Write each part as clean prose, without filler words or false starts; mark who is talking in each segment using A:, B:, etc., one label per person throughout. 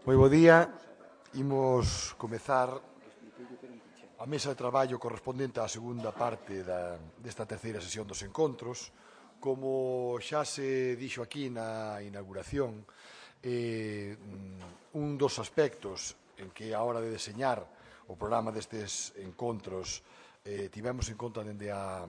A: Moi bo día, imos comezar a mesa de traballo correspondente á segunda parte desta terceira sesión dos encontros. Como xa se dixo aquí na inauguración, un dos aspectos en que a hora de deseñar o programa destes encontros tivemos en conta dende a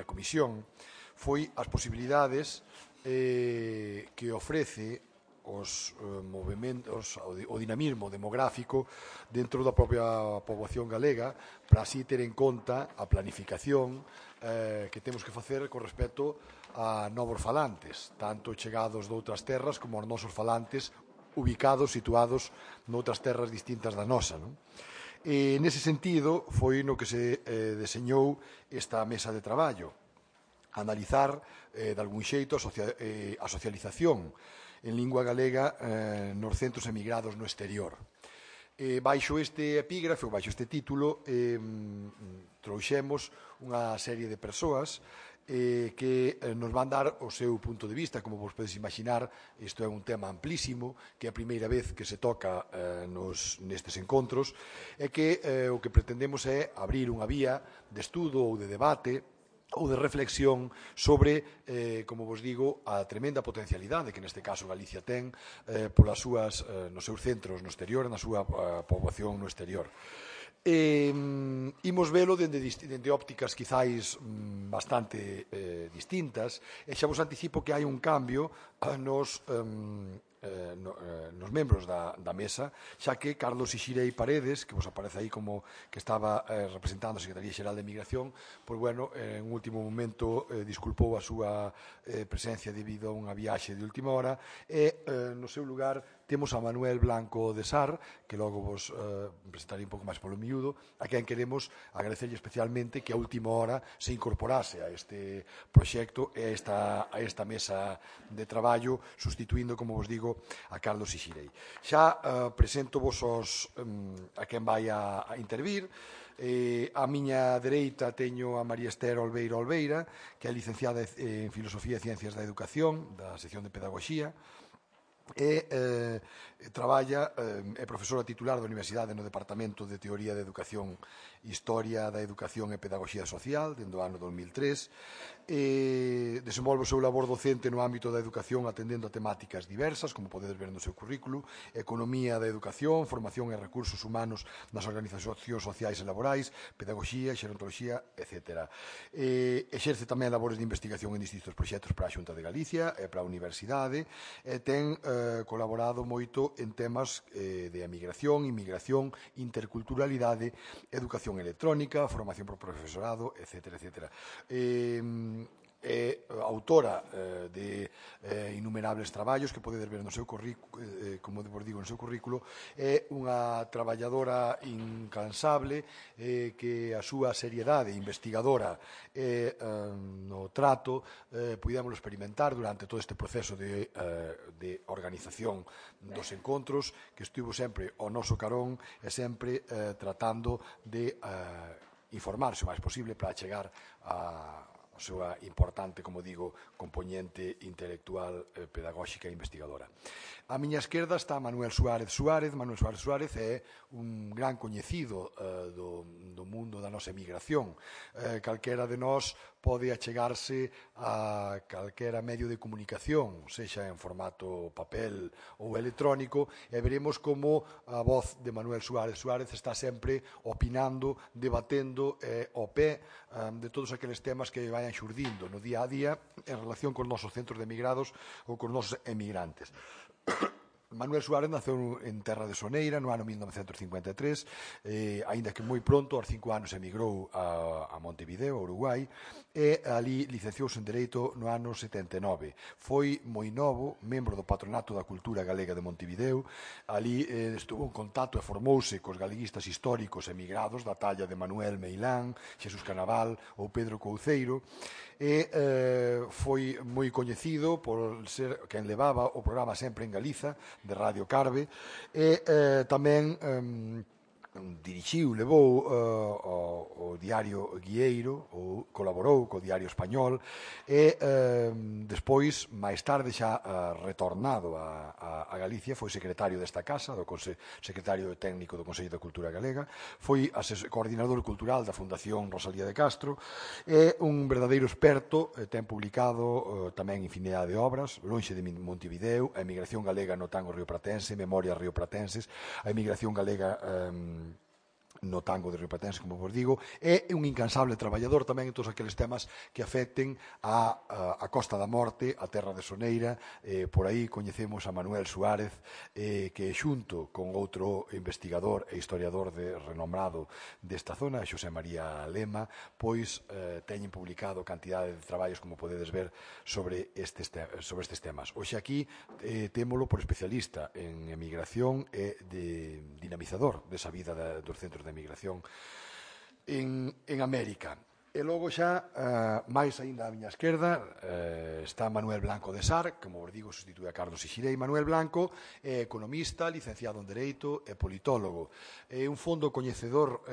A: comisión foi as posibilidades que ofrece os movimentos, o dinamismo demográfico dentro da propia poboación galega, para así ter en conta a planificación que temos que facer con respecto a novos falantes, tanto chegados de outras terras como aos nosos falantes ubicados, situados noutras terras distintas da nosa, non? E nese sentido foi no que se deseñou esta mesa de traballo, analizar de algún xeito a socialización en lingua galega nos centros emigrados no exterior. Baixo este epígrafe, ou baixo este título, trouxemos unha serie de persoas que nos van dar o seu punto de vista. Como vos podes imaginar, isto é un tema amplísimo, que é a primeira vez que se toca nestes encontros, e que o que pretendemos é abrir unha vía de estudo ou de debate ou de reflexión sobre, como vos digo, a tremenda potencialidade que neste caso Galicia ten nos seus centros no exterior, na súa poboación no exterior. Imos velo dende ópticas quizáis bastante distintas, e xa vos anticipo que hai un cambio nos membros da mesa, xa que Carlos Ixirei Paredes, que vos aparece aí como que estaba representando a Secretaría Xeral de Migración, pois bueno, en último momento disculpou a súa presencia debido a unha viaxe de última hora, e no seu lugar temos a Manuel Blanco de Sar, que logo vos presentarei un pouco máis polo miúdo, a quen queremos agradecerlle especialmente que a última hora se incorporase a este proxecto e a esta mesa de traballo, sustituindo, como vos digo, a Carlos Ixirei. Xa presento vos a quen vai a intervir. A miña dereita teño a María Esther Olveira, que é licenciada en Filosofía e Ciencias da Educación, da sección de Pedagogía, e traballa, é profesora titular da Universidade no Departamento de Teoría de Educación, Historia da Educación e Pedagogía Social, dende o ano 2003, e desenvolve o seu labor docente no ámbito da educación atendendo a temáticas diversas, como podedes ver no seu currículo: economía da educación, formación e recursos humanos nas organizacións sociais e laborais, pedagogía, xerontoloxía, etc. Exerce tamén labores de investigación en distintos proxectos para a Xunta de Galicia e para a Universidade, e ten colaborado moito en temas de emigración, inmigración, interculturalidade, educación electrónica, formación por profesorado, etc. É autora de innumerables traballos que podedes ver no seu currículo, como vos digo, no seu currículo. É unha traballadora incansable que a súa seriedade investigadora no trato pudémoslo experimentar durante todo este proceso de organización dos encontros, que estivo sempre ao noso carón e sempre tratando de informarse o máis posible para chegar a súa importante, como digo, compoñente intelectual, pedagóxica e investigadora. A miña esquerda está Manuel Suárez Suárez. Manuel Suárez Suárez é un gran coñecido do mundo da nosa emigración. Calquera de nós pode achegarse a calquera medio de comunicación, sexa en formato papel ou electrónico, e veremos como a voz de Manuel Suárez Suárez está sempre opinando, debatendo ao pé de todos aqueles temas que vayan xurdindo no día a día en relación con os nosos centros de emigrados ou con os nosos emigrantes. Manuel Suárez naceu en terra de Soneira no ano 1953, aínda que moi pronto, aos 5 anos, emigrou a Montevideo, Uruguai, e ali licenciouse en Dereito no ano 79. Foi moi novo, membro do Patronato da Cultura Galega de Montevideo. Ali estuvo en contacto e formouse cos galeguistas históricos emigrados da talla de Manuel Meilán, Xesús Canaval ou Pedro Couceiro, e foi moi coñecido por ser quen levaba o programa Sempre en Galiza, de Radio Carve, e tamén dirixiu, levou o diario Guieiro, ou colaborou co diario español, e despois, máis tarde, xa retornado a Galicia, foi secretario desta casa, secretario técnico do Consello da Cultura Galega, foi coordinador cultural da Fundación Rosalía de Castro, é un verdadeiro experto, ten publicado tamén infinidade de obras, Lonxe de Montevideo, a emigración galega no tango riopratense, Memorias riopratenses, a emigración galega no tango de riopratense, como vos digo, é un incansable traballador tamén en todos aqueles temas que afecten a Costa da Morte, a Terra de Soneira. Por aí coñecemos a Manuel Suárez, que xunto con outro investigador e historiador renombrado desta zona, Xosé María Lema, pois teñen publicado cantidade de traballos, como podedes ver, sobre estes temas. Hoxe aquí témolo por especialista en emigración e de dinamizador desa vida dos centros de emigración en América. E logo xa, máis aínda á miña esquerda, está Manuel Blanco de Sar, como vos digo, substitúe a Carlos Ixirei. Manuel Blanco é economista, licenciado en Dereito e politólogo. É un fondo coñecedor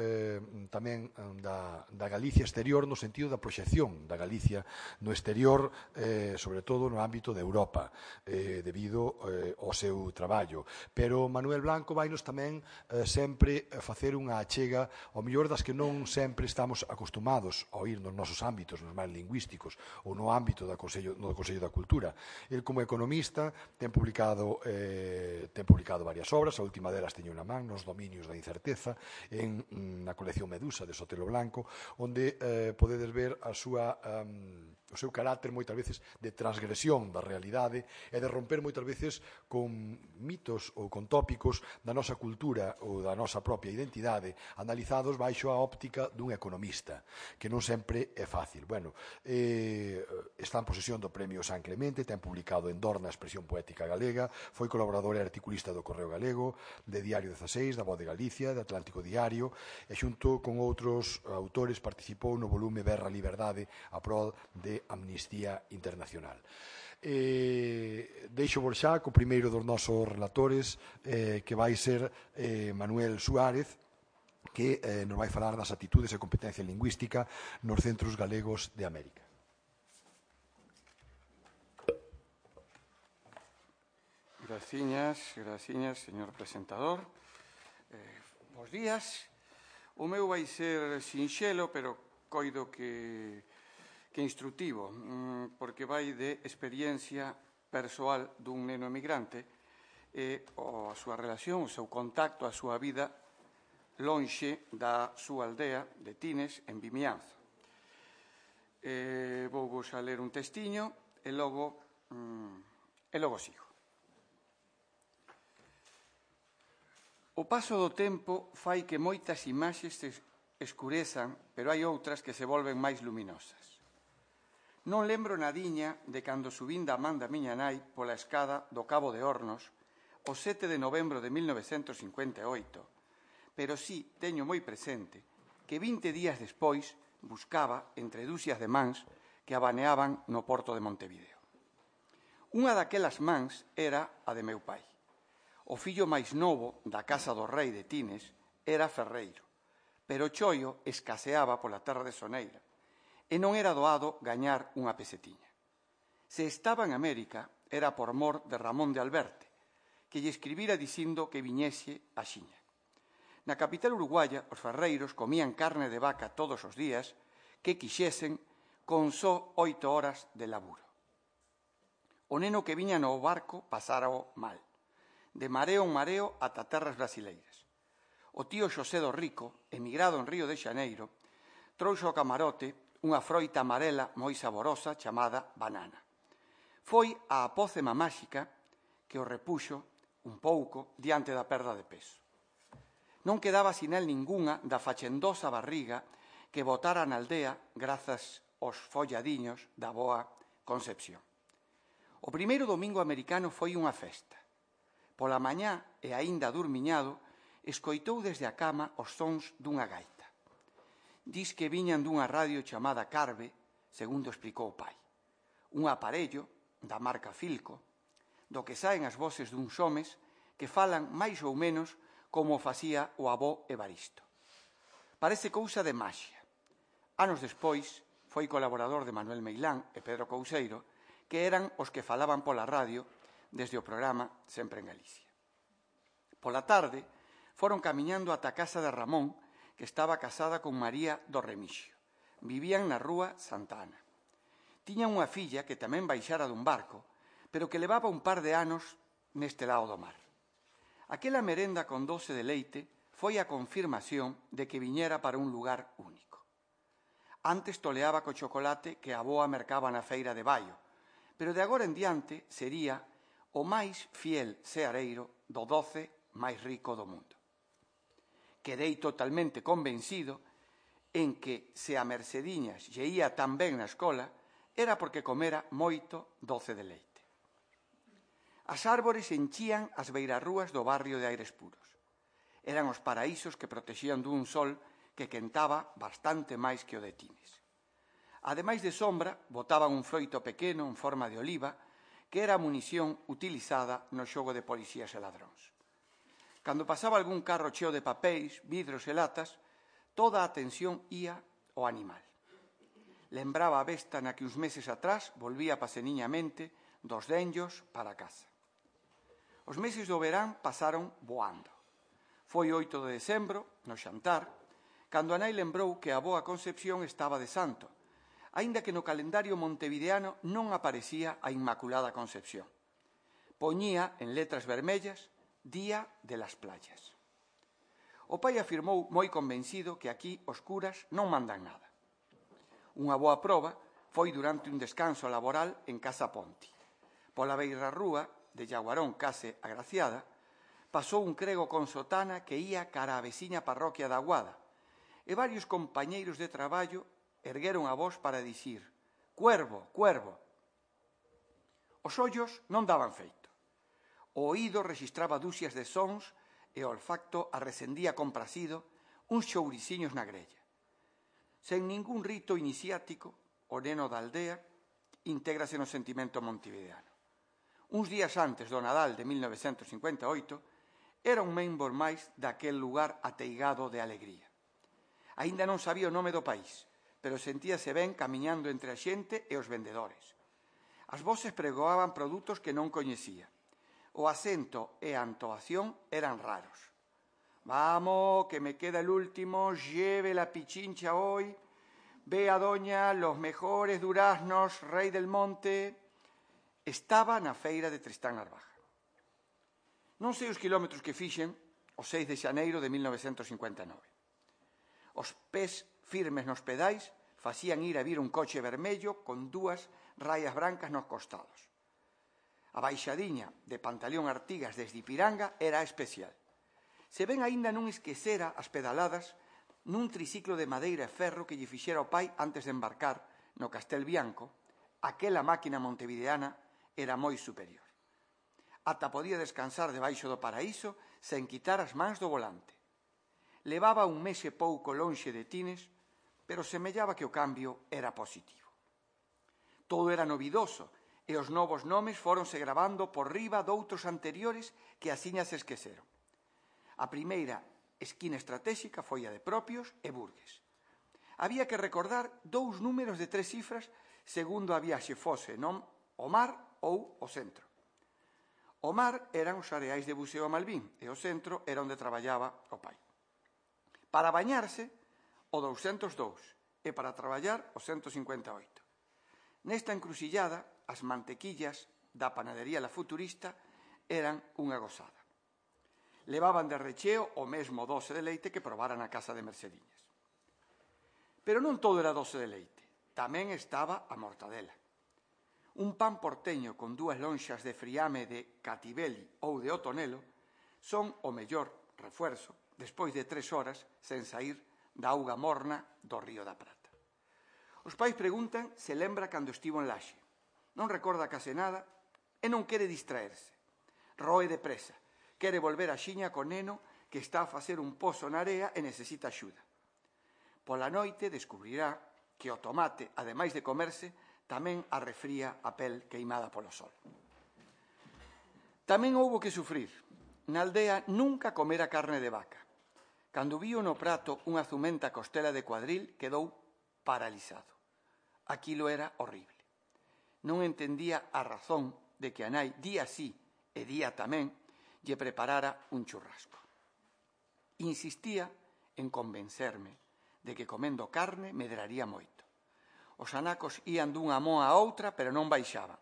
A: tamén da Galicia exterior, no sentido da proxección da Galicia no exterior, sobre todo no ámbito de Europa, debido ao seu traballo. Pero Manuel Blanco vainos tamén sempre facer unha achega, ao mellor das que non sempre estamos acostumados a oír nos nosos ámbitos, nos máis lingüísticos, ou no ámbito do Consello da Cultura. El, como economista, ten publicado varias obras, a última delas teño na man, Nos dominios da incerteza, na colección Medusa de Sotelo Blanco, onde podedes ver o seu carácter moitas veces de transgresión da realidade e de romper moitas veces con mitos ou con tópicos da nosa cultura ou da nosa propia identidade, analizados baixo a óptica dun economista, que non sempre é fácil. Bueno, está en posesión do Premio San Clemente, ten publicado en Dorna a expresión poética galega, foi colaborador e articulista do Correo Galego, de Diario 16, da Voz de Galicia, de Atlántico Diario, e xunto con outros autores participou no volume Berra Liberdade a prol de Amnistía Internacional. Deixo vos xa co primeiro dos nosos relatores, que vai ser Manuel Suárez, que nos vai falar das actitudes e competencia lingüística nos centros galegos de América.
B: Graciñas, señor presentador. Bos días. O meu vai ser sinxelo, pero coido que instructivo, porque vai de experiencia persoal dun neno emigrante e a súa relación, o seu contacto, a súa vida lonxe da súa aldea de Tines, en Vimianzo. Vou vos a ler un testiño e logo sigo. O paso do tempo fai que moitas imaxes se escurezan, pero hai outras que se volven máis luminosas. Non lembro nadiña de cando subín da man da miña nai pola escada do Cabo de Hornos o 7 de novembro de 1958, pero sí teño moi presente que 20 días despois buscaba entre dúcias de mans que abaneaban no porto de Montevideo. Unha daquelas mans era a de meu pai. O fillo máis novo da casa do rei de Tines era ferreiro, pero o choio escaseaba pola terra de Soneira e non era doado gañar unha pesetiña. Se estaba en América era por mor de Ramón de Alberte, que lle escribira dicindo que viñese a xiña. Na capital uruguaya, os ferreiros comían carne de vaca todos os días que quixesen con só 8 horas de laburo. O neno que viña no barco pasárao mal, de mareo en mareo ata terras brasileiras. O tío Xosé do Rico, emigrado en Río de Xaneiro, trouxo ao camarote unha froita amarela moi saborosa chamada banana. Foi a apócema máxica que o repuxo un pouco diante da perda de peso. Non quedaba sinal ningunha da fachendosa barriga que botara na aldea grazas aos folladiños da boa Concepción. O primeiro domingo americano foi unha festa. Pola mañá e aínda durmiñado, escoitou desde a cama os sons dunha gaita. Dis que viñan dunha radio chamada Carve, segundo explicou o pai. Un aparello da marca Filco, do que saen as voces duns homes que falan máis ou menos como facía o avó Evaristo. Parece cousa de maxia. Anos despois, foi colaborador de Manuel Meilán e Pedro Couseiro, que eran os que falaban pola radio desde o programa Sempre en Galicia. Pola tarde, foron camiñando ata a casa de Ramón, que estaba casada con María do Remixio. Vivían na rúa Santa Ana. Tiña unha filla que tamén baixara dun barco, pero que levaba un par de anos neste lado do mar. Aquela merenda con doce de leite foi a confirmación de que viñera para un lugar único. Antes toleaba co chocolate que a avoa mercaba na feira de Baio, pero de agora en diante sería o máis fiel seareiro do doce máis rico do mundo. Quedei totalmente convencido en que se a Mercediñas lle ía tan ben na escola era porque comera moito doce de leite. As árbores enchían as beirarrúas do barrio de Aires Puros. Eran os paraísos que protexían dun sol que quentaba bastante máis que o de Tines. Ademais de sombra, botaban un froito pequeno en forma de oliva que era a munición utilizada no xogo de policías e ladróns. Cando pasaba algún carro cheo de papéis, vidros e latas, toda a atención ía ao animal. Lembraba a besta na que uns meses atrás volvía paseniñamente dos denllos para casa. Os meses do verán pasaron voando. Foi 8 de decembro, no xantar, cando a nai lembrou que a avoa Concepción estaba de santo, aínda que no calendario montevideano non aparecía a Inmaculada Concepción. Poñía en letras vermellas Día de las Playas. O pai afirmou moi convencido que aquí os curas non mandan nada. Unha boa proba foi durante un descanso laboral en Casa Ponti. Pola beirarrúa de Llaguarón case agraciada, pasou un crego con sotana que ía cara á veciña parroquia da Aguada, e varios compañeiros de traballo ergueron a voz para dicir «Cuervo, cuervo». Os ollos non daban feito. O oído rexistraba dúcias de sons e o olfacto arrecendía compracido uns chouriciños na grella. Sen ningún rito iniciático, o neno da aldea intégrase no sentimento montevideano. Uns días antes do Nadal de 1958, era un membro máis daquel lugar ateigado de alegría. Aínda non sabía o nome do país, pero sentíase ben camiñando entre a xente e os vendedores. As voces pregoaban produtos que non coñecía. O acento e a entoación eran raros. Vamos, que me queda el último, lleve la pichincha hoy, ve a doña los mejores duraznos, rei del monte. Estaba na feira de Tristán Narvaja. Non sei os quilómetros que fixen o 6 de xaneiro de 1959. Os pés firmes nos pedais facían ir a vir un coche vermello con dúas raias brancas nos costados. A baixadiña de Pantaleón Artigas desde Ipiranga era especial. Se ben aínda non esquecera as pedaladas nun triciclo de madeira e ferro que lle fixera o pai antes de embarcar no Castel Bianco, aquela máquina montevideana era moi superior. Ata podía descansar debaixo do paraíso sen quitar as mans do volante. Levaba un mes e pouco lonxe de Tines, pero semellaba que o cambio era positivo. Todo era novidoso, e os novos nomes fóronse gravando por riba doutros anteriores que asiña se esqueceron. A primeira esquina estratégica foi a de Propios e Burgues. Había que recordar 2 números de 3 cifras segundo a viaxe fose non o mar ou o centro. O mar eran os areais de buceo a Malvín e o centro era onde traballaba o pai. Para bañarse, o 202 e para traballar o 158. Nesta encrucillada, as mantequillas da panadería La Futurista eran unha gozada. Levaban de recheo o mesmo doce de leite que probaran na casa de Mercediñas. Pero non todo era doce de leite, tamén estaba a mortadela. Un pan porteño con 2 lonxas de friame de Catibeli ou de Otonelo son o mellor refuerzo despois de 3 horas sen saír da auga morna do Río da Prata. Os pais preguntan se lembra cando estivo en Laxe. Non recorda case nada e non quere distraerse. Roe depresa, quere volver a xiña co neno que está a facer un pozo na area e necesita axuda. Pola noite descubrirá que o tomate, ademais de comerse, tamén arrefría a pel queimada polo sol. Tamén houbo que sufrir. Na aldea nunca comera carne de vaca. Cando vío no prato unha zumenta costela de cuadril, quedou paralizado. Aquilo era horrible. Non entendía a razón de que a nai día sí e día tamén lle preparara un churrasco. Insistía en convencerme de que comendo carne medraría moito. Os anacos ían dunha moa a outra, pero non baixaban.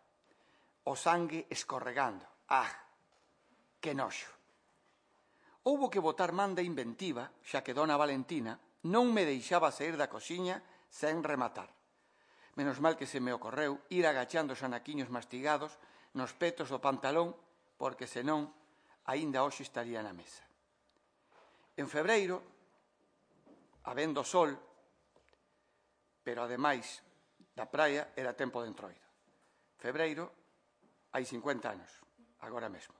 B: O sangue escorregando. Ah, que noxo! Houbo que botar man de inventiva, xa que dona Valentina non me deixaba sair da cociña sen rematar. Menos mal que se me ocorreu ir agachando os anaquiños mastigados nos petos do pantalón, porque senón aínda hoxe estaría na mesa. En febreiro, habendo sol, pero ademais da praia era tempo de entroido. Febreiro, hai 50 anos, agora mesmo.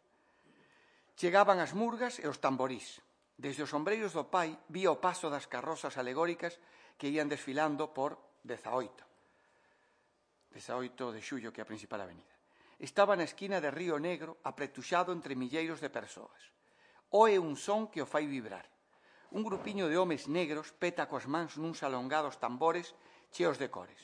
B: Chegaban as murgas e os tamborís. Desde os sombreiros do pai vía o paso das carrozas alegóricas que ían desfilando por 18 de xullo, que é a principal avenida. Estaba na esquina de Río Negro, apretuxado entre milleiros de persoas. Oe un son que o fai vibrar. Un grupiño de homes negros peta coas mans nuns alongados tambores cheos de cores.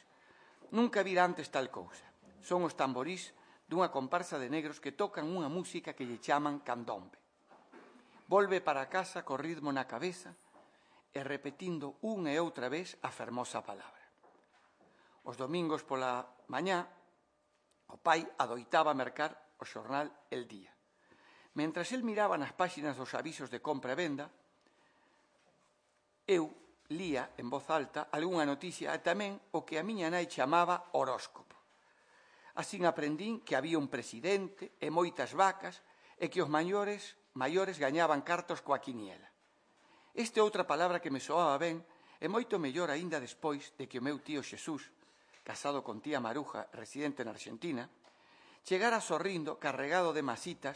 B: Nunca vira antes tal cousa. Son os tamborís dunha comparsa de negros que tocan unha música que lle chaman candombe. Volve para casa co ritmo na cabeza e repetindo unha e outra vez a fermosa palabra. Os domingos pola mañá, o pai adoitaba mercar o xornal El Día. Mentras el miraba nas páxinas dos avisos de compra e venda, eu lía en voz alta algunha noticia e tamén o que a miña nai chamaba horóscopo. Asín aprendín que había un presidente e moitas vacas e que os maiores gañaban cartos coa quiniela. Esta é outra palabra que me soaba ben e moito mellor aínda despois de que o meu tío Xesús, casado con tía Maruja, residente na Argentina, chegara sorrindo carregado de masitas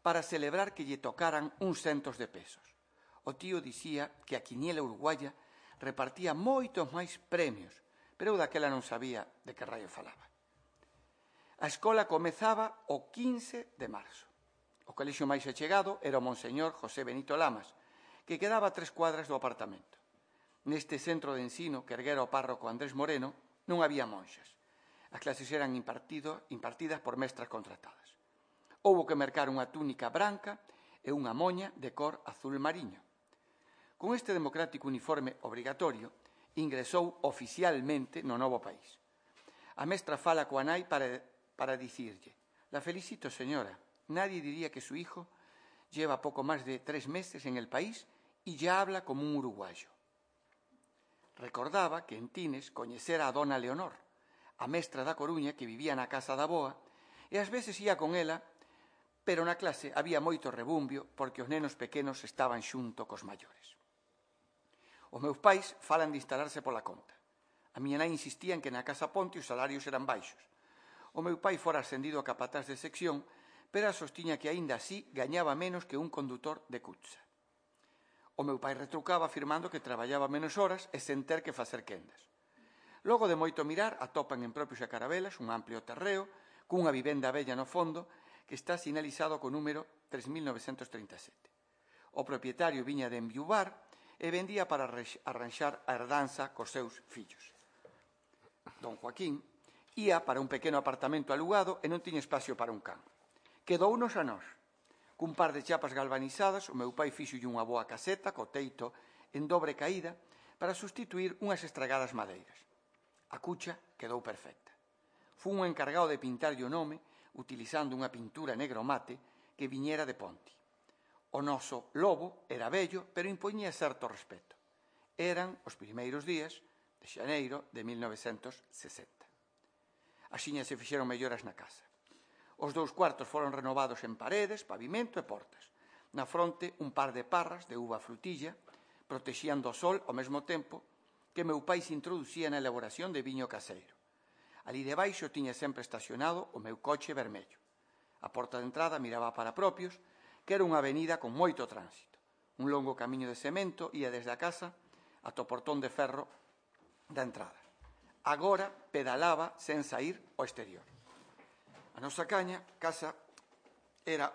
B: para celebrar que lle tocaran uns centos de pesos. O tío dicía que a quiniela uruguaya repartía moitos máis premios, pero eu daquela non sabía de que raio falaba. A escola comezaba o 15 de marzo. O colexio máis achegado era o Monseñor José Benito Lamas, que quedaba a 3 cuadras do apartamento. Neste centro de ensino que erguera o párroco Andrés Moreno non había monxas. As clases eran impartidas por mestras contratadas. Houbo que mercar unha túnica branca e unha moña de cor azul mariño. Con este democrático uniforme obrigatorio, ingresou oficialmente no novo país. A mestra fala coa nai para dicirlle: «La felicito, señora. Nadie diría que su hijo lleva poco más de 3 meses en el país y ya habla como un uruguayo». Recordaba que en Tines coñecera a dona Leonor, a mestra da Coruña que vivía na casa da avoa, e ás veces ia con ela, pero na clase había moito rebumbio porque os nenos pequenos estaban xunto cos maiores. Os meus pais falan de instalarse pola conta. A miña nai insistía en que na Casa Ponte os salarios eran baixos. O meu pai fora ascendido a capataz de sección, pero sostiña que aínda así gañaba menos que un condutor de Cutsa. O meu pai retrucaba afirmando que traballaba menos horas e sen ter que facer quendas. Logo de moito mirar, atopan en propios a Carabelas un amplio terreo cunha vivenda bella no fondo que está sinalizado co número 3937. O propietario viña de enviuvar e vendía para arranxar a herdanza cos seus fillos. Don Joaquín ía para un pequeno apartamento alugado e non tiña espacio para un can. Quedounos a nós. Cun par de chapas galvanizadas, o meu pai fixolle unha boa caseta co teito en dobre caída para sustituir unhas estragadas madeiras. A cucha quedou perfecta. Fun o encargado de pintarlle o nome utilizando unha pintura negro mate que viñera de Ponti. O noso lobo era vello, pero impoñía certo respeto. Eran os primeiros días de xaneiro de 1960. Axiña se fixeron melloras na casa. Os 2 cuartos foron renovados en paredes, pavimento e portas. Na fronte, un par de parras de uva frutilla protexían do sol ao mesmo tempo que meu pai se introducía na elaboración de viño caseiro. Ali debaixo tiña sempre estacionado o meu coche vermello. A porta de entrada miraba para propios, que era unha avenida con moito tránsito. Un longo camiño de cemento ía desde a casa ata o portón de ferro da entrada. Agora pedalaba sen sair ao exterior. A nosa casa era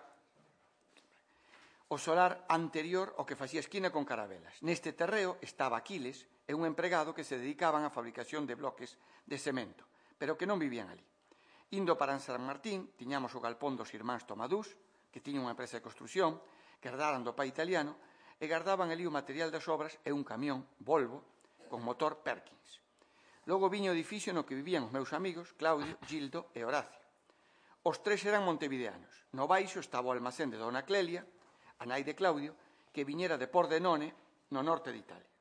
B: o solar anterior ao que facía esquina con Carabelas. Neste terreo estaba Aquiles e un empregado que se dedicaban á fabricación de bloques de cemento, pero que non vivían ali. Indo para San Martín, tiñamos o galpón dos irmáns Tomadús, que tiña unha empresa de construción, que herdaran do pai italiano, e guardaban ali o material das obras e un camión Volvo con motor Perkins. Logo viño o edificio no que vivían os meus amigos Claudio, Gildo e Horacio. Os tres eran montevideanos. No baixo estaba o almacén de Dona Clelia, a nai de Claudio, que viñera de Pordenone, no norte de Italia.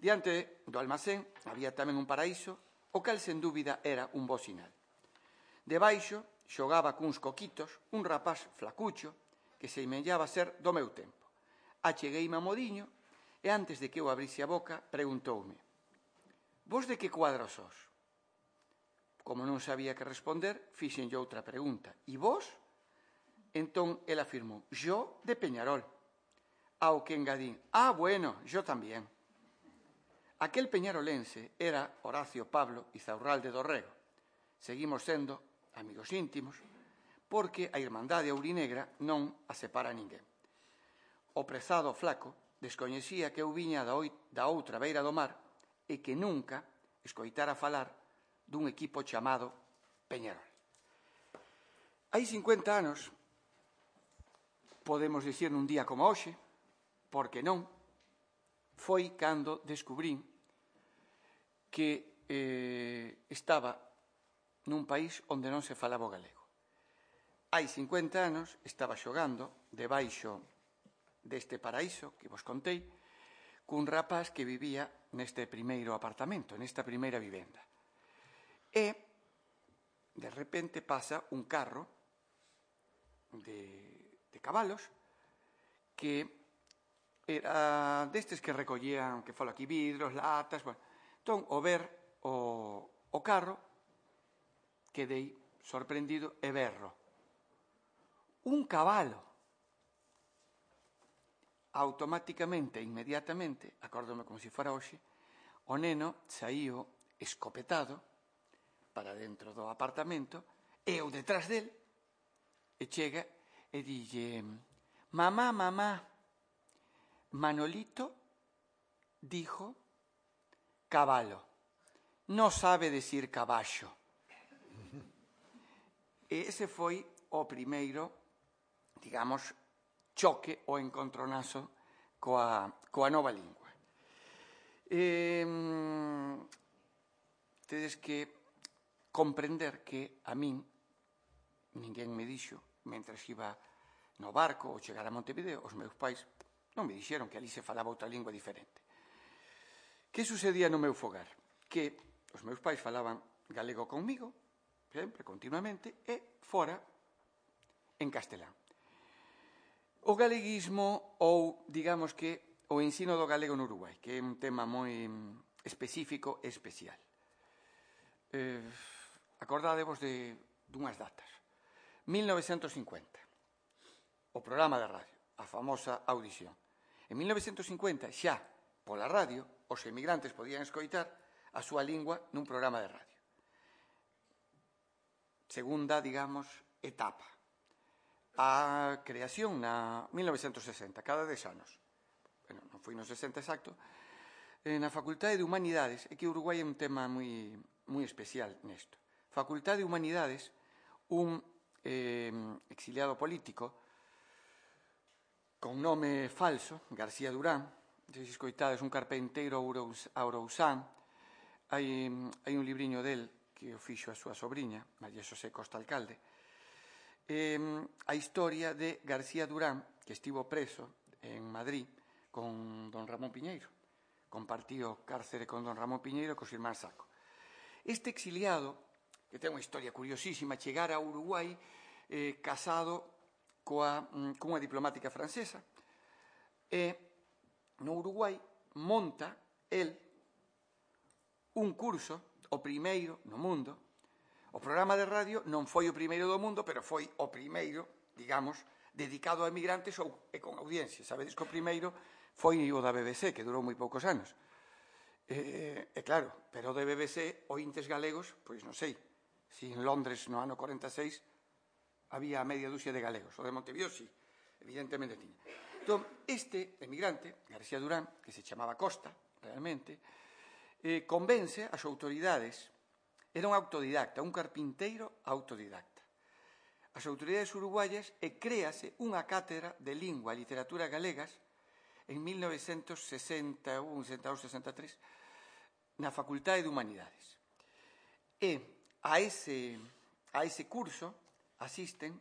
B: Diante do almacén había tamén un paraíso, o cal sen dúbida era un bo sinal. Debaixo xogaba cuns coquitos un rapaz flacucho que se imellaba ser do meu tempo. Achegueime a modiño e antes de que eu abrise a boca preguntoume: «Vos de que cuadro sos?» Como non sabía que responder, fixenlle outra pregunta: «E vos?» Entón, el afirmou: «Yo de Peñarol». Ao que engadín: «Ah, bueno, yo también». Aquel peñarolense era Horacio Pablo Izaurralde do Rego. Seguimos sendo amigos íntimos porque a Irmandade Aurinegra non a separa ninguén. O prezado flaco descoñecía que eu viña da outra beira do mar e que nunca escoitara falar dun equipo chamado Peñarol. Hai 50 anos, podemos dicir nun día como hoxe, porque non, foi cando descubrín que estaba nun país onde non se falaba o galego. Hai 50 anos estaba xogando debaixo deste paraíso que vos contei cun rapaz que vivía neste primeiro apartamento, nesta primeira vivenda. E, de repente, pasa un carro de cabalos que era destes que recollían, que falo aquí, vidros, latas, bueno. Entón, ao ver o carro, quedei sorprendido e berro: un cabalo. Automáticamente, inmediatamente, acórdome como se fora hoxe, o neno saíu escopetado para dentro do apartamento e eu detrás del, e chega e dille: «Mamá, mamá, Manolito dijo cabalo, no sabe decir caballo». E ese foi o primeiro, digamos, choque ou encontronazo coa nova lingua. Tedes que comprender que a min ninguén me dixo, mentre iba no barco ou chegar a Montevideo, os meus pais non me dixeron que ali se falaba outra lingua diferente. Que sucedía no meu fogar? Que os meus pais falaban galego conmigo, sempre, continuamente, e fora en castelán. O galeguismo ou, digamos que, o ensino do galego no Uruguai, que é un tema moi específico e especial. Acordádevos dunhas datas. 1950, o programa de radio, a famosa audición. En 1950, xa, pola radio, os emigrantes podían escoitar a súa lingua nun programa de radio. Segunda, digamos, etapa. A creación na 1960, cada 10 anos. Bueno, non foi no 60 exacto. Na Facultade de Humanidades, é que Uruguai é un tema moi especial nesto. Facultade de Humanidades, un exiliado político con nome falso, García Durán, se escoitades, un carpinteiro ourousán. Hai un libriño del que o fixo a súa sobriña, María Xosé Costa Alcalde. A historia de García Durán, que estivo preso en Madrid con don Ramón Piñeiro. Compartió cárcere con don Ramón Piñeiro e cos irmáns Saco. Este exiliado, que ten unha historia curiosísima, chegara a Uruguai casado cunha diplomática francesa, e no Uruguai monta el un curso, o primeiro no mundo. O programa de radio non foi o primeiro do mundo, pero foi o primeiro, digamos, dedicado a emigrantes e con audiencia. Sabedes que o primeiro foi o da BBC, que durou moi poucos anos. E claro, pero o de BBC, ointes galegos, pois non sei, si en Londres no ano 46 había media dúcia de galegos. O de Montevideo, sí. evidentemente tiña. Entón, este emigrante, García Durán, que se chamaba Costa, realmente, convence as autoridades, era un autodidacta, un carpinteiro autodidacta, as autoridades uruguayas, e créase unha cátedra de lingua e literatura galegas en 1961-63 na Facultade de Humanidades. E a ese curso asisten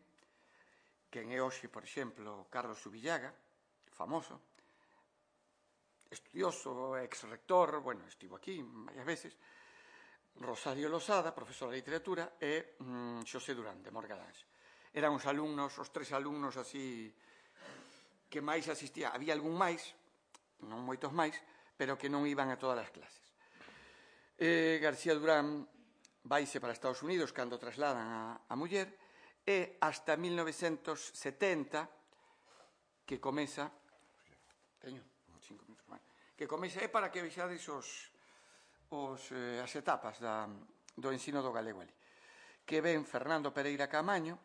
B: quen é hoxe, por exemplo, Carlos Subillaga, famoso, estudioso, ex-rector, bueno, estivo aquí varias veces, Rosario Losada, profesor de literatura, e Xosé Durán, de Morgadáns. Eran os alumnos, os tres alumnos así que máis asistían. Había algún máis, non moitos máis, pero que non iban a todas as clases. García Durán vaise para Estados Unidos cando trasladan a muller, e hasta 1970 que comeza é para que vexades as etapas do ensino do galego ali, que ven Fernando Pereira Camaño,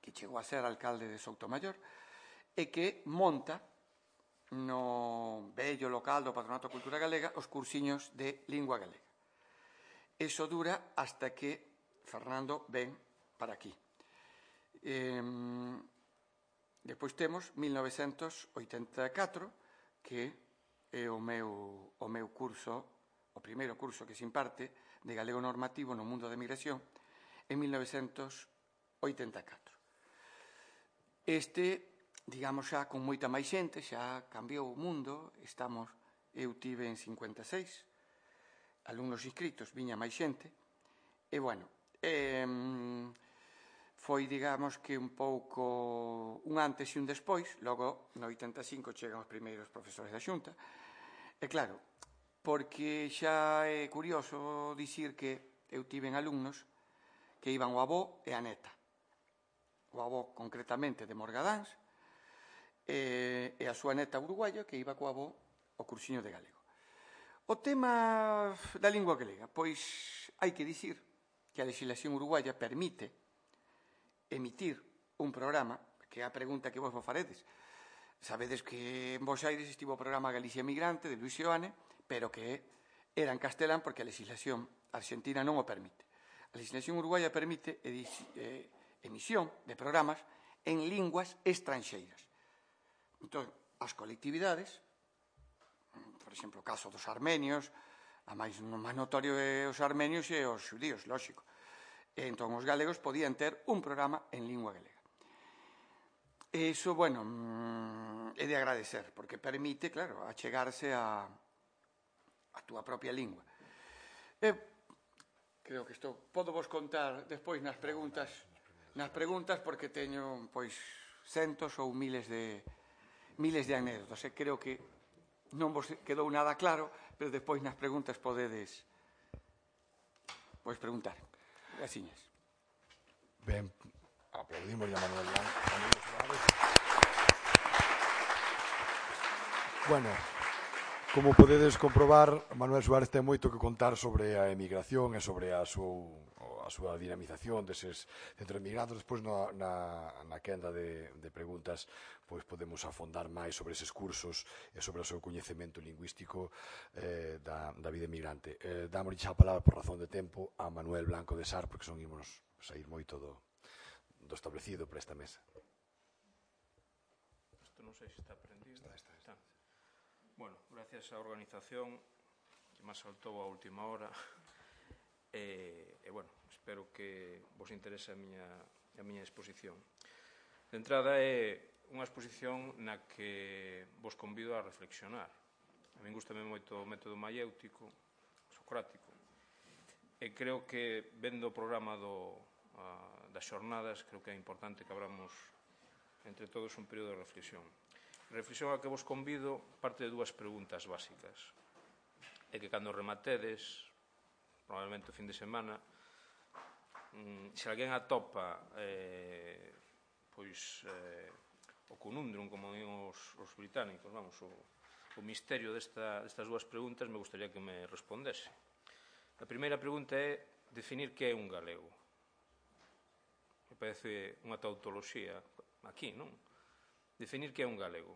B: que chegou a ser alcalde de Soutomayor, e que monta no vello local do Patronato de Cultura Galega os cursiños de lingua galega. Eso dura hasta que Fernando ven para aquí. Depois temos 1984, que é o meu curso, o primeiro curso que se imparte de galego normativo no mundo da emigración, en 1984. Digamos, xa con moita máis xente, xa cambiou o mundo, eu tive en 56 alumnos inscritos, viña máis xente, e, bueno, foi, digamos, que un pouco un antes e un despois. Logo, no 85, chegan os primeiros profesores da Xunta, e, claro, porque xa é curioso dicir que eu tiven alumnos que iban o avó e a neta. O avó, concretamente, de Morgadáns, e a súa neta uruguaya, que iba co avó ao cursiño de galego. O tema da lingua galega, pois hai que dicir que a legislación uruguaya permite emitir un programa, que é a pregunta que vos faredes. Sabedes que en Bos Aires estivo o programa Galicia Emigrante de Luis Seoane, pero que era en castelán porque a legislación argentina non o permite. A legislación uruguaya permite emisión de programas en linguas estranxeiras. Entón, as colectividades, por exemplo, o caso dos armenios, a máis notorio é os armenios e os xudíos, lógico. E entón, os galegos podían ter un programa en lingua galega. E iso, bueno, é de agradecer, porque permite, claro, achegarse a túa propia lingua. Creo que isto podo vos contar despois nas preguntas, porque teño, pois, centos ou miles de anécdotas. Creo que non vos quedou nada claro, pero despois nas preguntas podedes preguntar. Graciñas.
A: Ben, aplaudimos a Manuel Blanco. Bueno, como podedes comprobar, Manuel Suárez ten moito que contar sobre a emigración e sobre a súa dinamización deses centros emigrados. Despois na quenda de preguntas pois podemos afondar máis sobre eses cursos e sobre o seu coñecemento lingüístico da vida emigrante. Damos xa a palabra por razón de tempo a Manuel Blanco de Sar, porque son imos sair moito do establecido para esta mesa.
C: Isto non sei se está prendido. Está. Bueno, gracias á organización que me saltou a última hora e bueno, espero que vos interese a miña exposición. De entrada é unha exposición na que vos convido a reflexionar. A min gustame moito o método maiéutico, socrático, e creo que vendo o programa das xornadas, creo que é importante que abramos entre todos un período de reflexión. Reflexión a que vos convido parte de dúas preguntas básicas. É que cando rematedes, probablemente o fin de semana, se alguén atopa o conundrum, como din os británicos, vamos, o misterio destas dúas preguntas, me gustaría que me respondese. A primeira pregunta é definir que é un galego. Me parece unha tautoloxía aquí, non? definir que é un galego.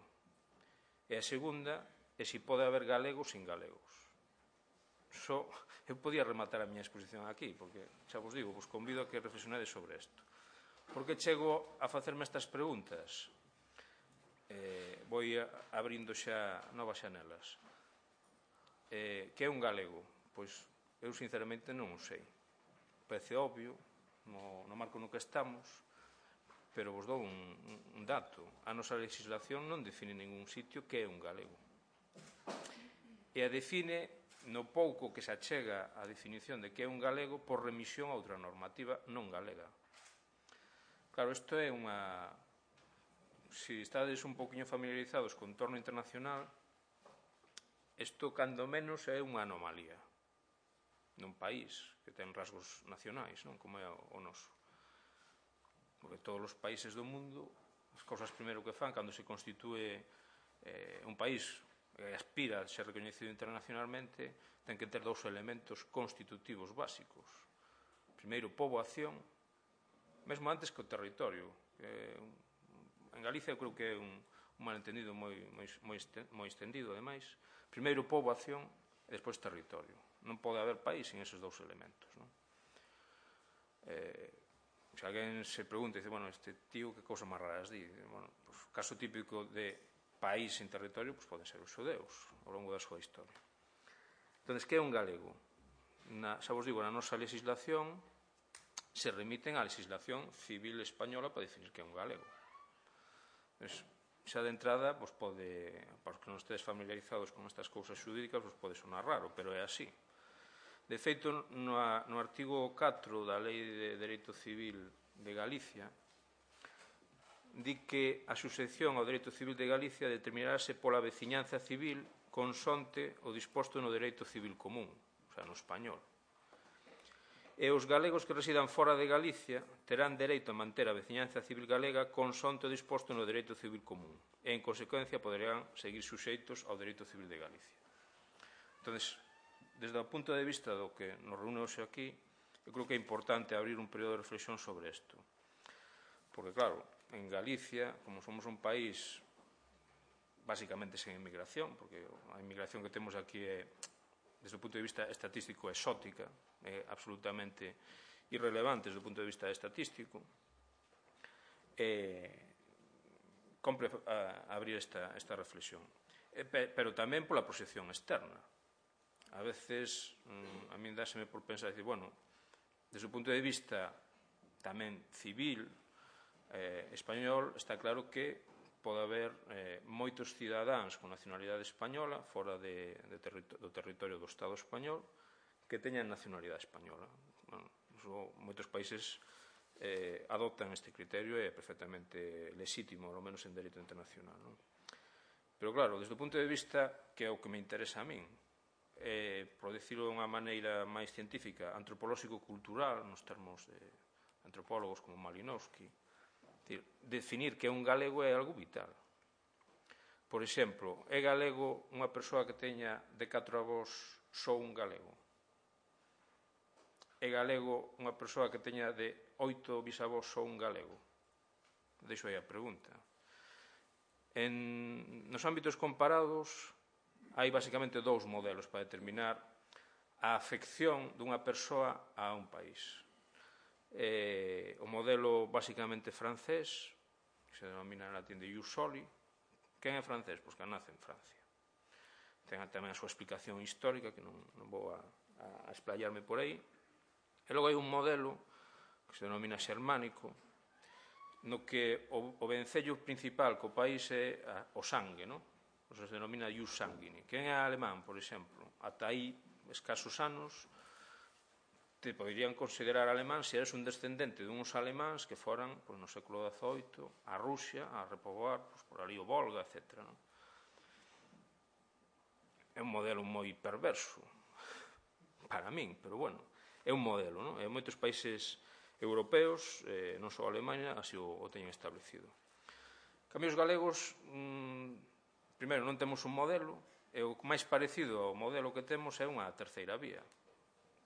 C: E a segunda é se pode haber galegos sin galegos. Eu podía rematar a miña exposición aquí, porque, xa vos digo, vos convido a que reflexionades sobre isto. Por que chego a facerme estas preguntas? Vou abrindo xa novas xanelas. Que é un galego? Pois eu sinceramente non o sei. Parece obvio, no marco no que estamos, pero vos dou un dato. A nosa legislación non define en ningún sitio que é un galego. E a define no pouco que se achega a definición de que é un galego por remisión a outra normativa non galega. Claro, isto é unha... Se estades un poquinho familiarizados co entorno internacional, isto, cando menos, é unha anomalía nun país que ten rasgos nacionais, non como é o noso. Porque todos os países do mundo, as cousas primeiro que fan cando se constitúe un país que aspira a ser recoñecido internacionalmente, ten que ter dous elementos constitutivos básicos. Primeiro, poboación, mesmo antes que o territorio. En Galicia eu creo que é un malentendido moi extendido, ademais. Primeiro, poboación e despois territorio. Non pode haber país sin eses dous elementos. Se alguén se pregunta e dice, bueno, este tío que cousas máis raras di. Bueno, pues, o caso típico de país sin territorio pues, poden ser os xudeus ao longo da súa historia. Entón, que é un galego? Xa vos digo, na nosa legislación se remiten á legislación civil española para definir que é un galego. Pues, xa de entrada, pues, pode, para os que non estedes familiarizados con estas cousas xurídicas, pues, pode sonar raro, pero é así. De feito, no artigo 4 da Lei de Dereito Civil de Galicia, di que a suxección ao dereito civil de Galicia determinarase pola veciñanza civil consonte o disposto no dereito civil común, o sea, no español. E os galegos que residan fora de Galicia terán dereito a manter a veciñanza civil galega consonte o disposto no dereito civil común e, en consecuencia, poderán seguir suxeitos ao dereito civil de Galicia. Entón, desde o punto de vista do que nos reúne hoxe aquí, eu creo que é importante abrir un período de reflexión sobre isto. Porque, claro, en Galicia, como somos un país basicamente sen inmigración, porque a inmigración que temos aquí é, desde o punto de vista estatístico, exótica, é absolutamente irrelevante desde o punto de vista estatístico, compre abrir esta reflexión. Pero tamén pola proxección externa. A veces, a mí dáseme por pensar, decir, bueno, desde o punto de vista tamén civil, español, está claro que pode haber moitos cidadáns con nacionalidade española fora do territorio do Estado español que teñan nacionalidade española. Moitos países adoptan este criterio e é perfectamente lexítimo, ao menos en dereito internacional. Pero claro, desde o punto de vista que é o que me interesa a min, por dicirlo de unha maneira máis científica, antropolóxico-cultural, nos termos de antropólogos como Malinowski, definir que é un galego é algo vital. Por exemplo, é galego unha persoa que teña de 4 avós só un galego? É galego unha persoa que teña de 8 bisavós só un galego? Deixo aí a pregunta. Nos ámbitos comparados hai basicamente dous modelos para determinar a afección dunha persoa a un país. O modelo basicamente francés, que se denomina en latín de ius soli. Quen é francés? Pois que nace en Francia. Ten tamén a súa explicación histórica, que non vou a explayarme por aí. E logo hai un modelo que se denomina xermánico, no que o vencello principal co país é o sangue, non? Se denomina ius sanguini. Quen é alemán, por exemplo? Ata aí, escasos anos, te poderían considerar alemán se eres un descendente dunhos alemáns que foran no século XVIII a Rusia a repoboar por ali o Volga, etc. É un modelo moi perverso para min, pero bueno, é un modelo, e moitos países europeos, non só Alemanha, así o teñen establecido. En cambio, os galegos, primeiro, non temos un modelo, e o máis parecido ao modelo que temos é unha terceira vía,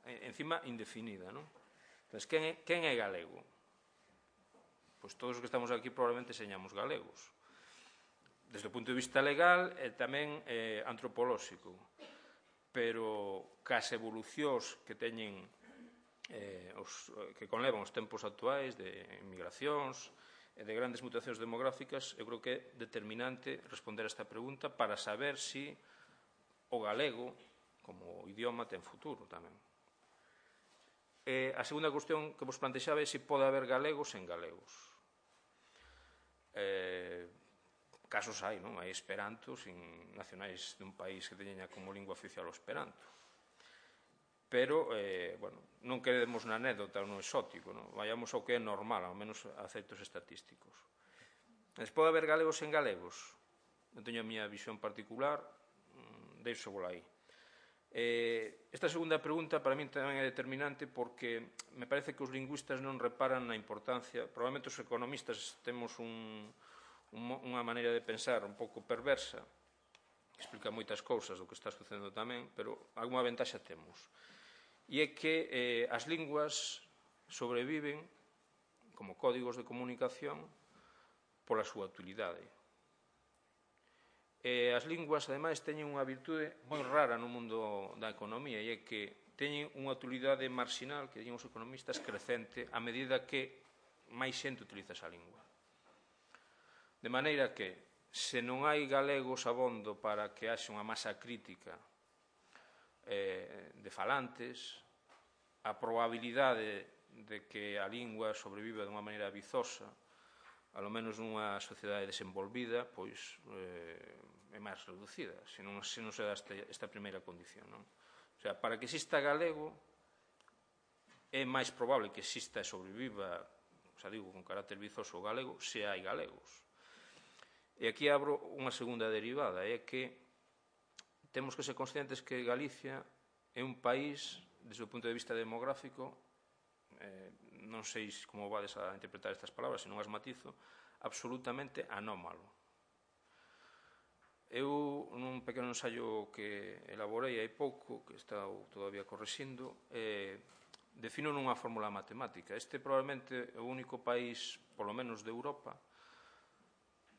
C: encima indefinida, non? Entón, quen é galego? Pois todos os que estamos aquí probablemente señamos galegos. desde o punto de vista legal e tamén antropolóxico, pero cas evolucións que teñen que conlevan os tempos actuais de migracións e de grandes mutacións demográficas, eu creo que é determinante responder a esta pregunta para saber si o galego como idioma ten futuro tamén. A segunda cuestión que vos plantexaba é se pode haber galegos en galegos. Casos hai, non? Hai esperantos nacionais dun país que teña como lingua oficial o esperanto. Pero, non quedemos na anécdota ou no exótico, non? Vayamos ao que é normal, ao menos a efectos estatísticos. Pode haber galegos en galegos? Non teño a miña visión particular, deixo vola aí. Esta segunda pregunta para min tamén é determinante porque me parece que os lingüistas non reparan na importancia, probablemente os economistas temos unha maneira de pensar un pouco perversa, que explica moitas cousas do que está sucedendo tamén, pero alguma ventaxa temos. E é que as linguas sobreviven como códigos de comunicación pola súa utilidade. As linguas, ademais, teñen unha virtude moi rara no mundo da economía, e é que teñen unha utilidade marxinal, que diñen os economistas, crecente, a medida que máis xente utiliza esa lingua. De maneira que, se non hai galegos abondo para que haxe unha masa crítica de falantes, a probabilidade de que a lingua sobreviva de unha maneira vizosa, alo menos nunha sociedade desenvolvida, pois é máis reducida, se non se dá esta primeira condición, non? O sea, para que exista galego, é máis probable que exista e sobreviva, xa digo, con carácter vizoso o galego, se hai galegos. E aquí abro unha segunda derivada, é que temos que ser conscientes que Galicia é un país, desde o punto de vista demográfico, non sei como vades a interpretar estas palabras, se non as matizo, absolutamente anómalo. Eu, nun pequeno ensaio que elaborei hai pouco, que está todavía correxindo, defino nunha fórmula matemática. Este probablemente é o único país, polo menos de Europa,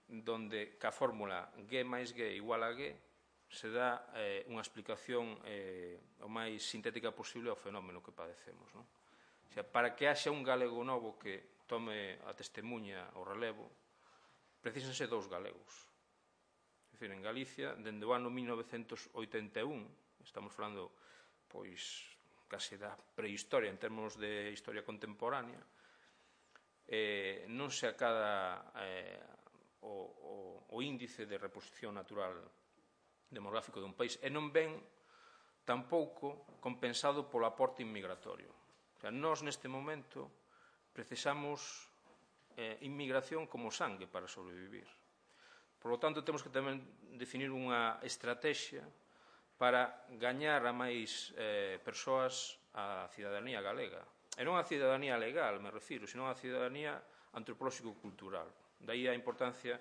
C: donde ca fórmula G máis G igual a G se dá unha explicación o máis sintética posible ao fenómeno que padecemos, non? O sea, para que haxa un galego novo que tome a testemunha o relevo, precísanse dous galegos. É dicir, en Galicia, dende o ano 1981, estamos falando, pois, case da prehistoria en termos de historia contemporánea, non se acada o índice de reposición natural demográfico dun país e non ven tampouco compensado polo aporte inmigratorio. O sea, nós neste momento precisamos inmigración como sangue para sobrevivir. Por lo tanto, temos que tamén definir unha estrategia para gañar a máis persoas a cidadanía galega. E non a cidadanía legal, me refiro, senón a cidadanía antropolóxico-cultural. Daí a importancia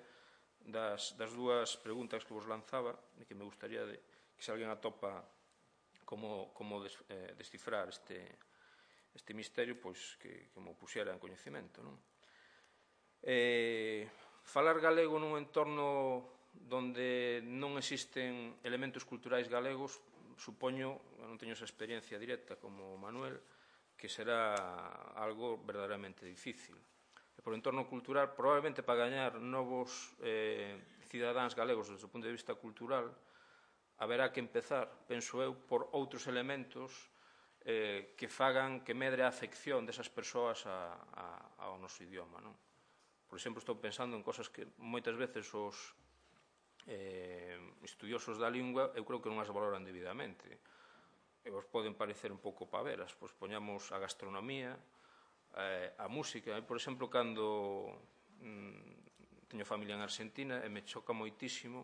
C: das dúas preguntas que vos lanzaba e que me gustaría que se alguén atopa como descifrar este misterio, pois que mo puxera en coñecemento, non? Falar galego nun entorno donde non existen elementos culturais galegos, supoño, non teño esa experiencia directa como Manuel, que será algo verdadeiramente difícil. E por entorno cultural, probablemente para gañar novos cidadáns galegos desde o punto de vista cultural, haberá que empezar, penso eu, por outros elementos que fagan que medre a afección desas persoas ao noso idioma, non? Por exemplo, estou pensando en cosas que moitas veces os estudiosos da lingua eu creo que non as valoran debidamente. E vos poden parecer un pouco paveras, pois poñamos a gastronomía, a música. Por exemplo, cando teño familia en Argentina e me choca moitísimo,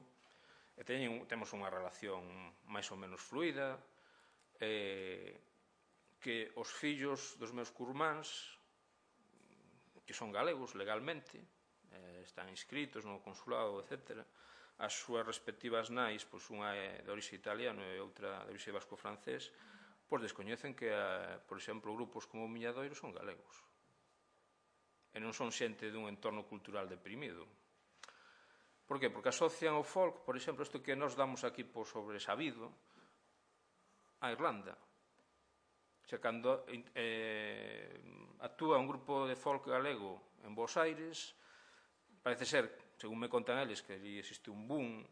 C: e temos unha relación máis ou menos fluida, que os fillos dos meus curmáns, que son galegos legalmente, están inscritos no consulado, etc., as súas respectivas nais, pois unha é de orixe italiano e outra de orixe vasco-francés, pois descoñecen que, por exemplo, grupos como o Miñadoiro son galegos. E non son xente dun entorno cultural deprimido. Por que? Porque asocian o folk, por exemplo, isto que nos damos aquí por sobresabido, a Irlanda. O sea, cando actúa un grupo de folk galego en Bos Aires, parece ser, según me contan eles, que ali existe un boom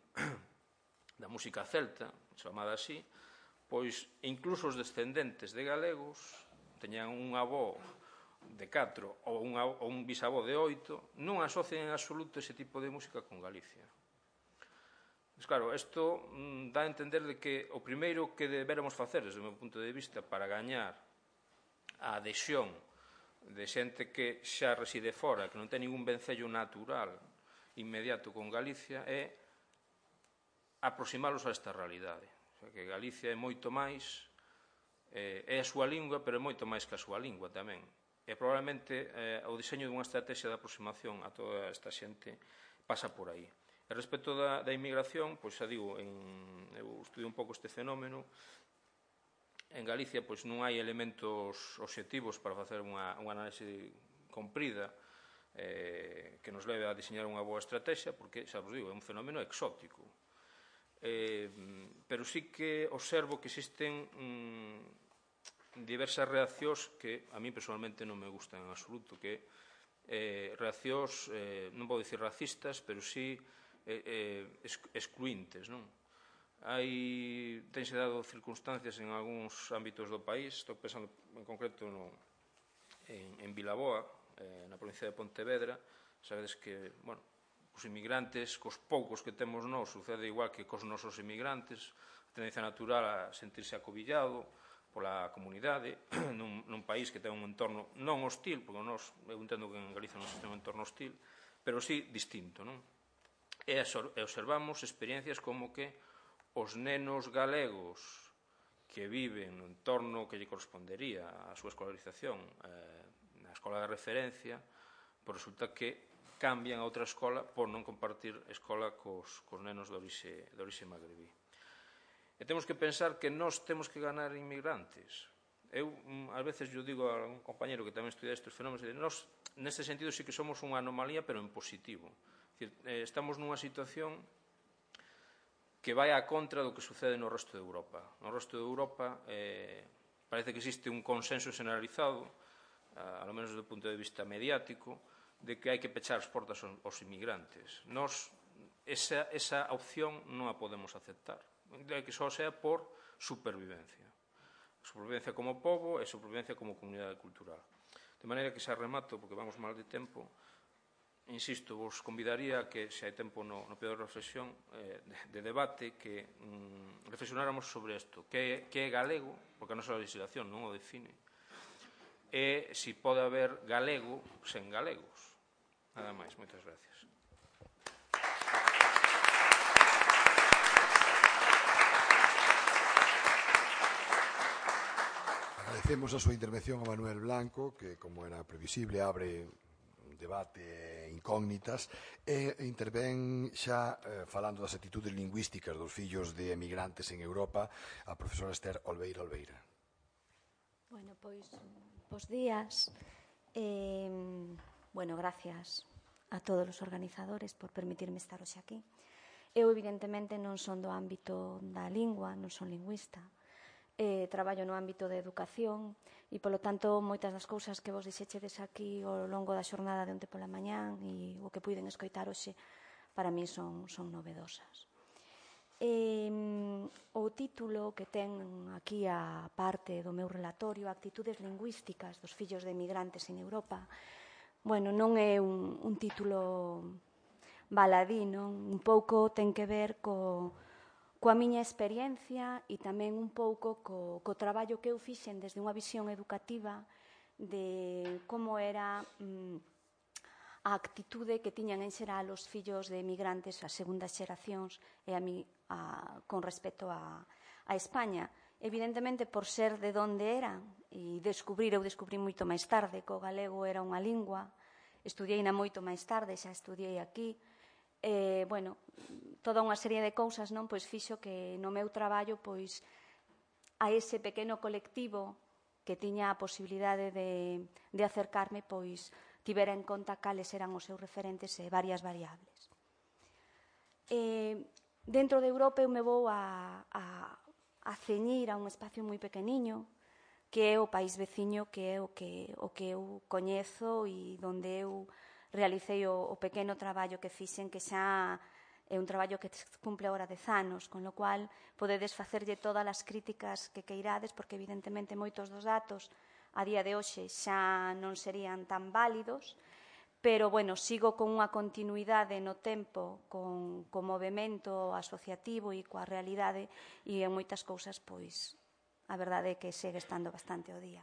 C: da música celta, chamada así, pois incluso os descendentes de galegos teñan un avó de 4 ou un bisavó de 8, non asocian en absoluto ese tipo de música con Galicia. Mas claro, isto dá a entender de que o primeiro que deberamos facer, desde o meu punto de vista, para gañar a adhesión de xente que xa reside fora, que non ten ningún vencello natural inmediato con Galicia, é aproximalos a esta realidade. O sea, que Galicia é moito máis, é a súa lingua, pero é moito máis que a súa lingua tamén. E probablemente o diseño dunha estrategia de aproximación a toda esta xente pasa por aí. E respecto da inmigración, pois xa digo, eu estudio un pouco este fenómeno. En Galicia pois non hai elementos obxectivos para facer unha análise comprida que nos leve a diseñar unha boa estrategia, porque, xa vos digo, é un fenómeno exótico. Pero sí que observo que existen diversas reaccións que a mí personalmente non me gustan en absoluto, que reaccións, non vou dicir racistas, pero sí excluintes, non? Tense dado circunstancias en algúns ámbitos do país, estou pensando en concreto en Vilaboa, na provincia de Pontevedra. Sabedes que, bueno, os inmigrantes, cos poucos que temos nós, sucede igual que cos nosos inmigrantes, a tendencia natural a sentirse acobillado pola comunidade, nun país que ten un entorno non hostil, porque eu entendo que en Galicia non se ten un entorno hostil, pero sí distinto, non? E observamos experiencias como que os nenos galegos que viven no entorno que lle correspondería a súa escolarización na escola de referencia, pois resulta que cambian a outra escola por non compartir escola cos nenos de orixe magrebí. E temos que pensar que nós temos que ganar inmigrantes. Eu, ás veces, eu digo a un compañero que tamén estudia estes fenómenos, nós, neste sentido, sí que somos unha anomalía, pero en positivo. Estamos nunha situación que vai a contra do que sucede no resto de Europa. No resto de Europa parece que existe un consenso generalizado, ao menos do punto de vista mediático, de que hai que pechar as portas aos inmigrantes. Nós, esa opción non a podemos aceptar, que só sea por supervivencia. Supervivencia como pobo e supervivencia como comunidade cultural. De maneira que xa remato, porque vamos mal de tempo, insisto, vos convidaría que, se hai tempo no período de reflexión, de debate, que reflexionáramos sobre isto, que é galego, porque a nosa legislación non o define, e se pode haber galego sen galegos. Nada máis, moitas gracias.
A: Agradecemos a súa intervención a Manuel Blanco, que, como era previsible, abre debate incógnitas e intervén xa falando das actitudes lingüísticas dos fillos de emigrantes en Europa a profesora Esther Olveira.
D: Bueno, pois, bos días. Bueno, gracias a todos os organizadores por permitirme estar hoxe aquí. Eu, evidentemente, non son do ámbito da lingua, non son lingüista. Traballo no ámbito de educación e, polo tanto, moitas das cousas que vos dixechedes aquí ao longo da xornada de onte pola mañán e o que puiden escoitar hoxe, para mí son novedosas. O título que ten aquí a parte do meu relatorio, Actitudes lingüísticas dos fillos de emigrantes en Europa, bueno, non é un título baladí, non? Un pouco ten que ver coa miña experiencia e tamén un pouco co traballo que eu fixen desde unha visión educativa de como era a actitude que tiñan en xeral os fillos de emigrantes, as segundas xeracións, e a mí con respecto a España. Evidentemente, por ser de onde eran, e eu descubrí moito máis tarde que o galego era unha lingua, estudiei-na moito máis tarde, xa estudiei aquí, bueno, toda unha serie de cousas, non, pois fixo que no meu traballo, pois, a ese pequeno colectivo que tiña a posibilidade de acercarme, pois, tivera en conta cales eran os seus referentes e varias variables. Dentro de Europa eu me vou a ceñir a un espacio moi pequeniño, que é o país veciño, que é o que eu coñezo e onde eu realicei o pequeno traballo que fixen, que xa é un traballo que cumple agora 10 anos, con lo cual podedes facerlle todas as críticas que queirades, porque evidentemente moitos dos datos a día de hoxe xa non serían tan válidos, pero, bueno, sigo con unha continuidade no tempo, con movimento asociativo e coa realidade, e en moitas cousas, pois, a verdade é que segue estando bastante ao día.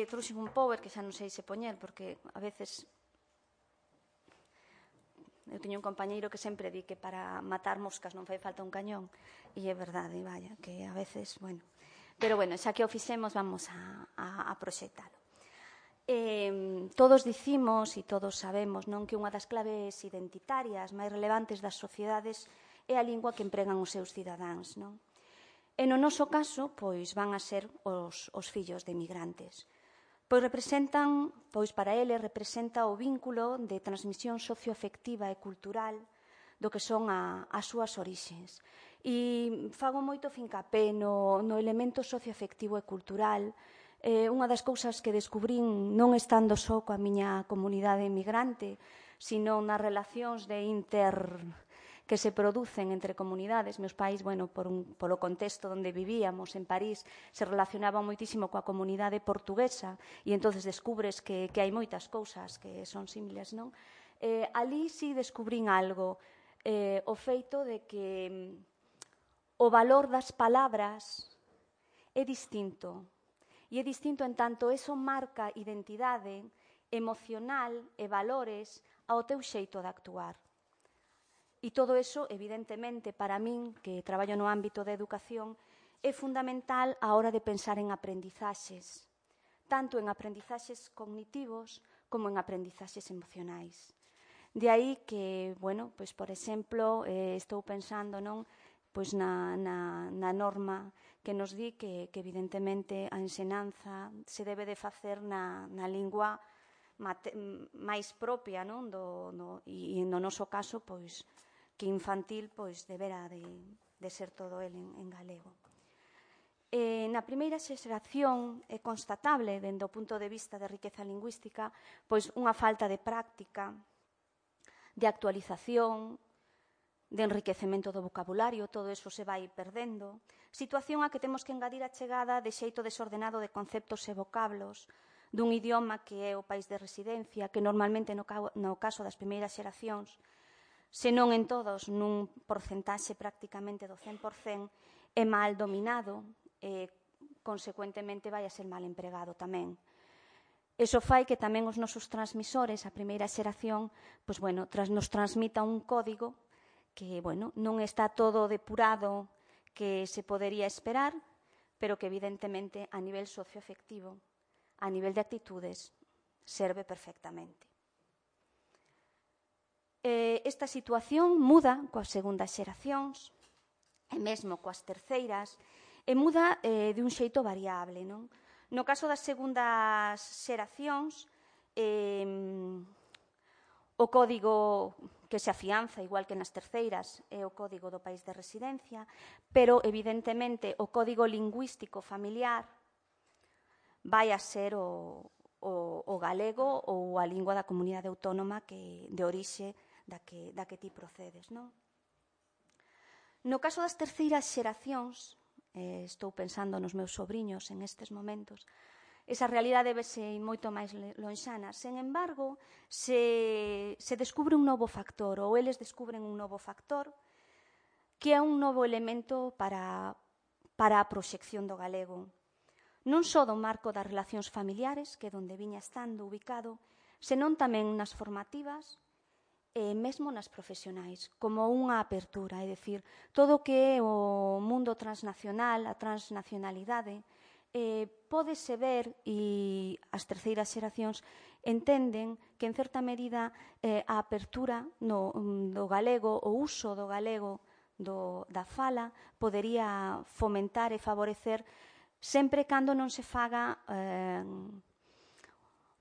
D: Trouxen un power que xa non sei se poñer, porque a veces eu teño un compañeiro que sempre di que para matar moscas non fai falta un cañón, e é verdade, vaya, que a veces, bueno. Pero, bueno, xa que o fixemos, vamos a proxectalo. Todos dicimos e todos sabemos, non, que unha das claves identitarias máis relevantes das sociedades é a lingua que empregan os seus cidadáns, non? E no noso caso, pois, van a ser os fillos de emigrantes. Pois representan, pois para eles representa o vínculo de transmisión socioafectiva e cultural do que son as súas orixes. E fago moito fincapé no elemento socioafectivo e cultural. Unha das cousas que descubrín non estando só coa miña comunidade emigrante, sino nas relacións de que se producen entre comunidades. Meus pais, bueno, polo contexto onde vivíamos, en París, se relacionaban moitísimo coa comunidade portuguesa e entonces descubres que hai moitas cousas que son similares, non? Ali sí descubrín algo, o feito de que o valor das palabras é distinto. E é distinto en tanto eso marca identidade emocional e valores ao teu xeito de actuar. E todo eso, evidentemente, para min, que traballo no ámbito da educación, é fundamental a hora de pensar en aprendizaxes, tanto en aprendizaxes cognitivos como en aprendizaxes emocionais. De aí que, bueno, pois, por exemplo, estou pensando, non, pois na norma que nos di que evidentemente a ensinanza se debe de facer na lingua máis propia, non, e no noso caso, pois, que infantil, pois, deberá de ser todo el en galego. Na primeira xeración é constatable, dende o punto de vista de riqueza lingüística, pois unha falta de práctica, de actualización, de enriquecemento do vocabulario, todo eso se vai perdendo, situación a que temos que engadir a chegada de xeito desordenado de conceptos e vocablos dun idioma que é o país de residencia, que normalmente no caso das primeiras xeracións, se non en todos, nun porcentaxe prácticamente do 100%, é mal dominado e, consecuentemente, vai a ser mal empregado tamén. Iso fai que tamén os nosos transmisores, a primeira xeración, pois, bueno, nos transmita un código que, bueno, non está todo depurado que se podería esperar, pero que, evidentemente, a nivel socioafectivo, a nivel de actitudes, serve perfectamente. Esta situación muda coas segundas xeracións e mesmo coas terceiras e muda de un xeito variable, non? No caso das segundas xeracións, o código que se afianza, igual que nas terceiras, é o código do país de residencia, pero, evidentemente, o código lingüístico familiar vai a ser o galego ou a lingua da comunidade autónoma de orixe da que ti procedes, non? No caso das terceiras xeracións, estou pensando nos meus sobriños en estes momentos, esa realidade vese moito máis lonxana. Sen embargo, se descubre un novo factor, ou eles descubren un novo factor, que é un novo elemento para a proxección do galego. Non só do marco das relacións familiares, que é onde viña estando ubicado, senón tamén nas formativas e mesmo nas profesionais, como unha apertura, é dicir, todo o que é o mundo transnacional, a transnacionalidade, pódese ver e as terceiras xeracións entenden que, en certa medida, a apertura do galego, o uso do galego da fala, podería fomentar e favorecer sempre cando non se faga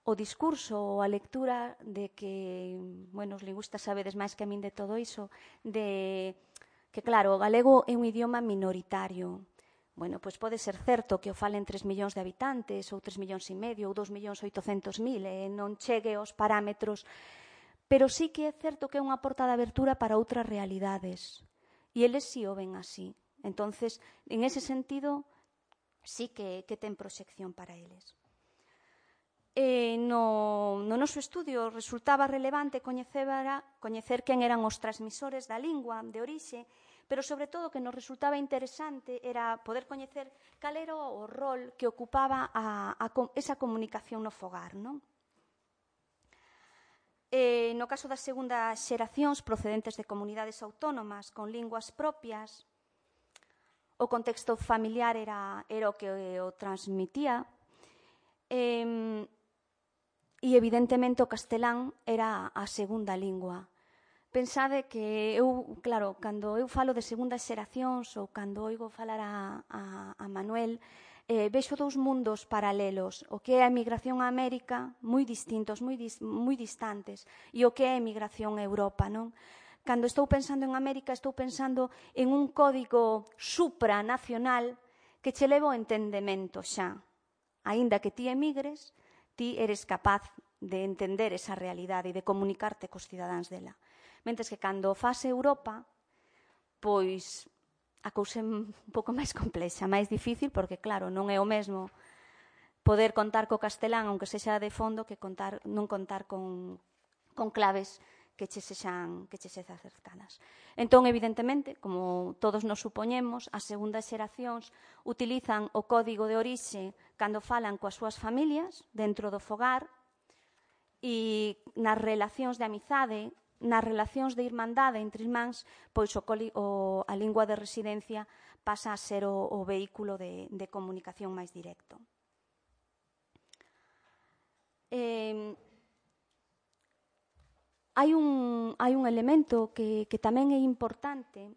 D: o discurso ou a lectura de que, bueno, os lingüistas sabedes máis que a min de todo iso, de que, claro, o galego é un idioma minoritario. Bueno, pois pode ser certo que o falen 3 millóns de habitantes, ou 3 millóns e medio, ou 2.800.000, e non chegue aos parámetros, pero sí que é certo que é unha porta de abertura para outras realidades. E eles sí o ven así. Entonces, en ese sentido, sí que ten proxección para eles. No noso estudio resultaba relevante coñecer quen eran os transmisores da lingua de orixe, pero sobre todo o que nos resultaba interesante era poder coñecer cal era o rol que ocupaba esa comunicación no fogar, non? No caso das segundas xeracións procedentes de comunidades autónomas con linguas propias, o contexto familiar era o que o transmitía, e evidentemente o castelán era a segunda lingua. Pensade que eu, claro, cando eu falo de segundas xeracións ou cando oigo falar a Manuel, vexo dous mundos paralelos, o que é a emigración a América, moi distintos, moi distantes, e o que é a emigración a Europa, non? Cando estou pensando en América, estou pensando en un código supranacional que che leva ao entendemento xa. Aínda que ti emigres, ti eres capaz de entender esa realidade e de comunicarte cos cidadáns dela. Mentres que cando faz Europa, pois a cousa é un pouco máis complexa, máis difícil, porque claro, non é o mesmo poder contar co castelán, aunque sexa de fondo, que non contar con claves que che sexan cercanas. Entón, evidentemente, como todos nos supoñemos, as segundas xeracións utilizan o código de orixe cando falan coas súas familias dentro do fogar e nas relacións de amizade, nas relacións de irmandade entre irmáns, pois a lingua de residencia pasa a ser o vehículo de comunicación máis directo. Hai un elemento que tamén é importante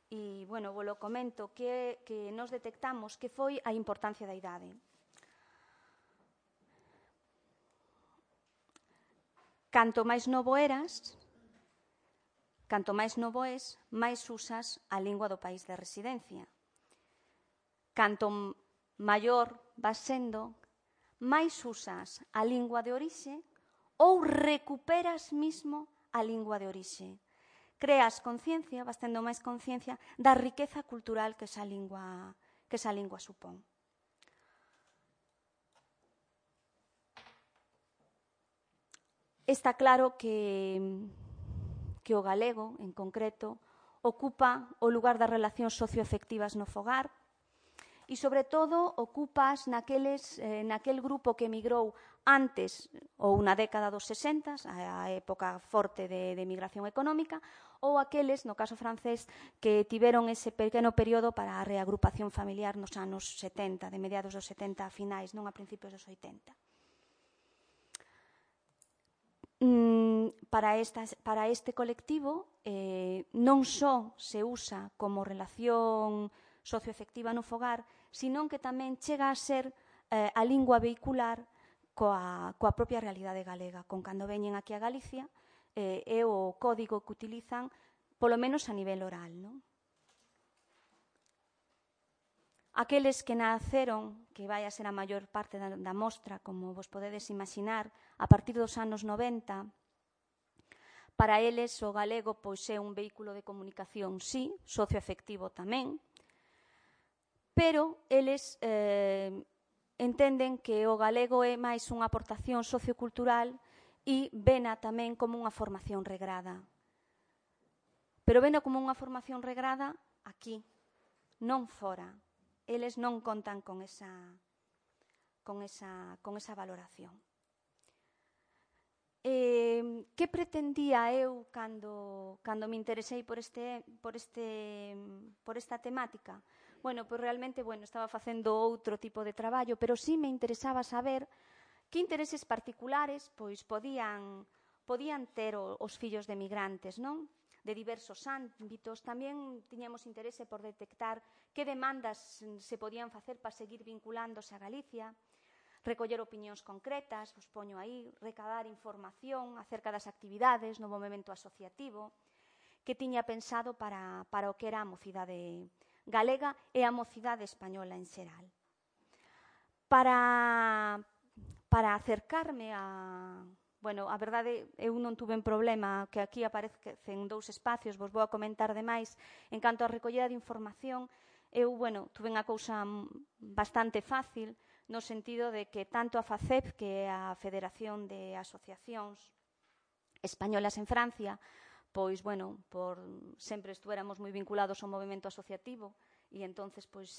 D: e, bueno, volo comento, que nos detectamos que foi a importancia da idade. Canto máis novo eras, canto máis novo és, máis usas a lingua do país de residencia. Canto maior vas sendo, máis usas a lingua de orixe ou recuperas mismo a lingua de orixe. Creas conciencia, vas tendo máis conciencia da riqueza cultural que esa lingua supón. Está claro que o galego, en concreto, ocupa o lugar das relacións socioafectivas no fogar e, sobre todo, ocupas naquel grupo que emigrou antes ou na década dos 60, a época forte de emigración económica, ou aqueles, no caso francés, que tiveron ese pequeno período para a reagrupación familiar nos anos 70, de mediados dos 70 a finais, non a principios dos 80. Para este colectivo non só se usa como relación socioafectiva no fogar, senón que tamén chega a ser a lingua vehicular coa propia realidade galega. Con cando veñen aquí a Galicia, é o código que utilizan, polo menos a nivel oral, non? Aqueles que naceron, que vai a ser a maior parte da mostra, como vos podedes imaginar, a partir dos anos 90, para eles o galego pois é un vehículo de comunicación, sí, socioafectivo tamén, pero eles entenden que o galego é máis unha aportación sociocultural e vena tamén como unha formación regrada. Pero vena como unha formación regrada aquí, non fora. Eles non contan con esa valoración. Que pretendía eu cando me interesei por esta temática? Bueno, pois realmente, estaba facendo outro tipo de traballo, pero sí me interesaba saber que intereses particulares pois podían ter os fillos de migrantes, non? De diversos ámbitos. Tamén tiñamos interese por detectar que demandas se podían facer para seguir vinculándose a Galicia. recoller opinións concretas, vos poño aí, recabar información acerca das actividades no movimento asociativo que tiña pensado para o que era a mocidade galega e a mocidade española en xeral. Para acercarme a... Bueno, a verdade, eu non tuve un problema que aquí aparecen 2 espacios, vos vou a comentar demais. En canto a recollida de información, eu, bueno, tuve unha cousa bastante fácil, no sentido de que tanto a FACEP, que é a Federación de Asociacións Españolas en Francia, pois, bueno, sempre estuéramos moi vinculados ao movimento asociativo, e entonces pois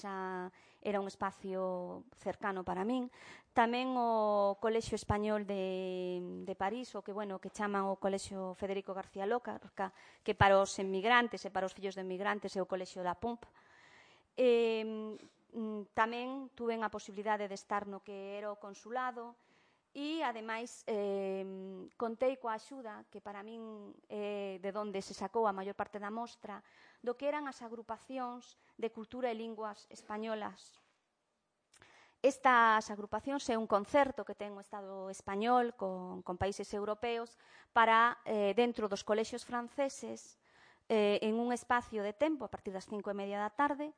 D: era un espacio cercano para min. Tamén o Colexio Español de París, o que, bueno, que chaman o Colexio Federico García Lorca, que para os emigrantes e para os fillos de emigrantes é o Colexio da PUMP. Tamén tuve a posibilidade de estar no que era o consulado e, ademais, contei coa axuda, que para min é de onde se sacou a maior parte da mostra, do que eran as agrupacións de cultura e linguas españolas. Estas agrupacións é un concerto que ten o Estado español con países europeos para, dentro dos colexios franceses, en un espacio de tempo, a partir das 5:30 da tarde,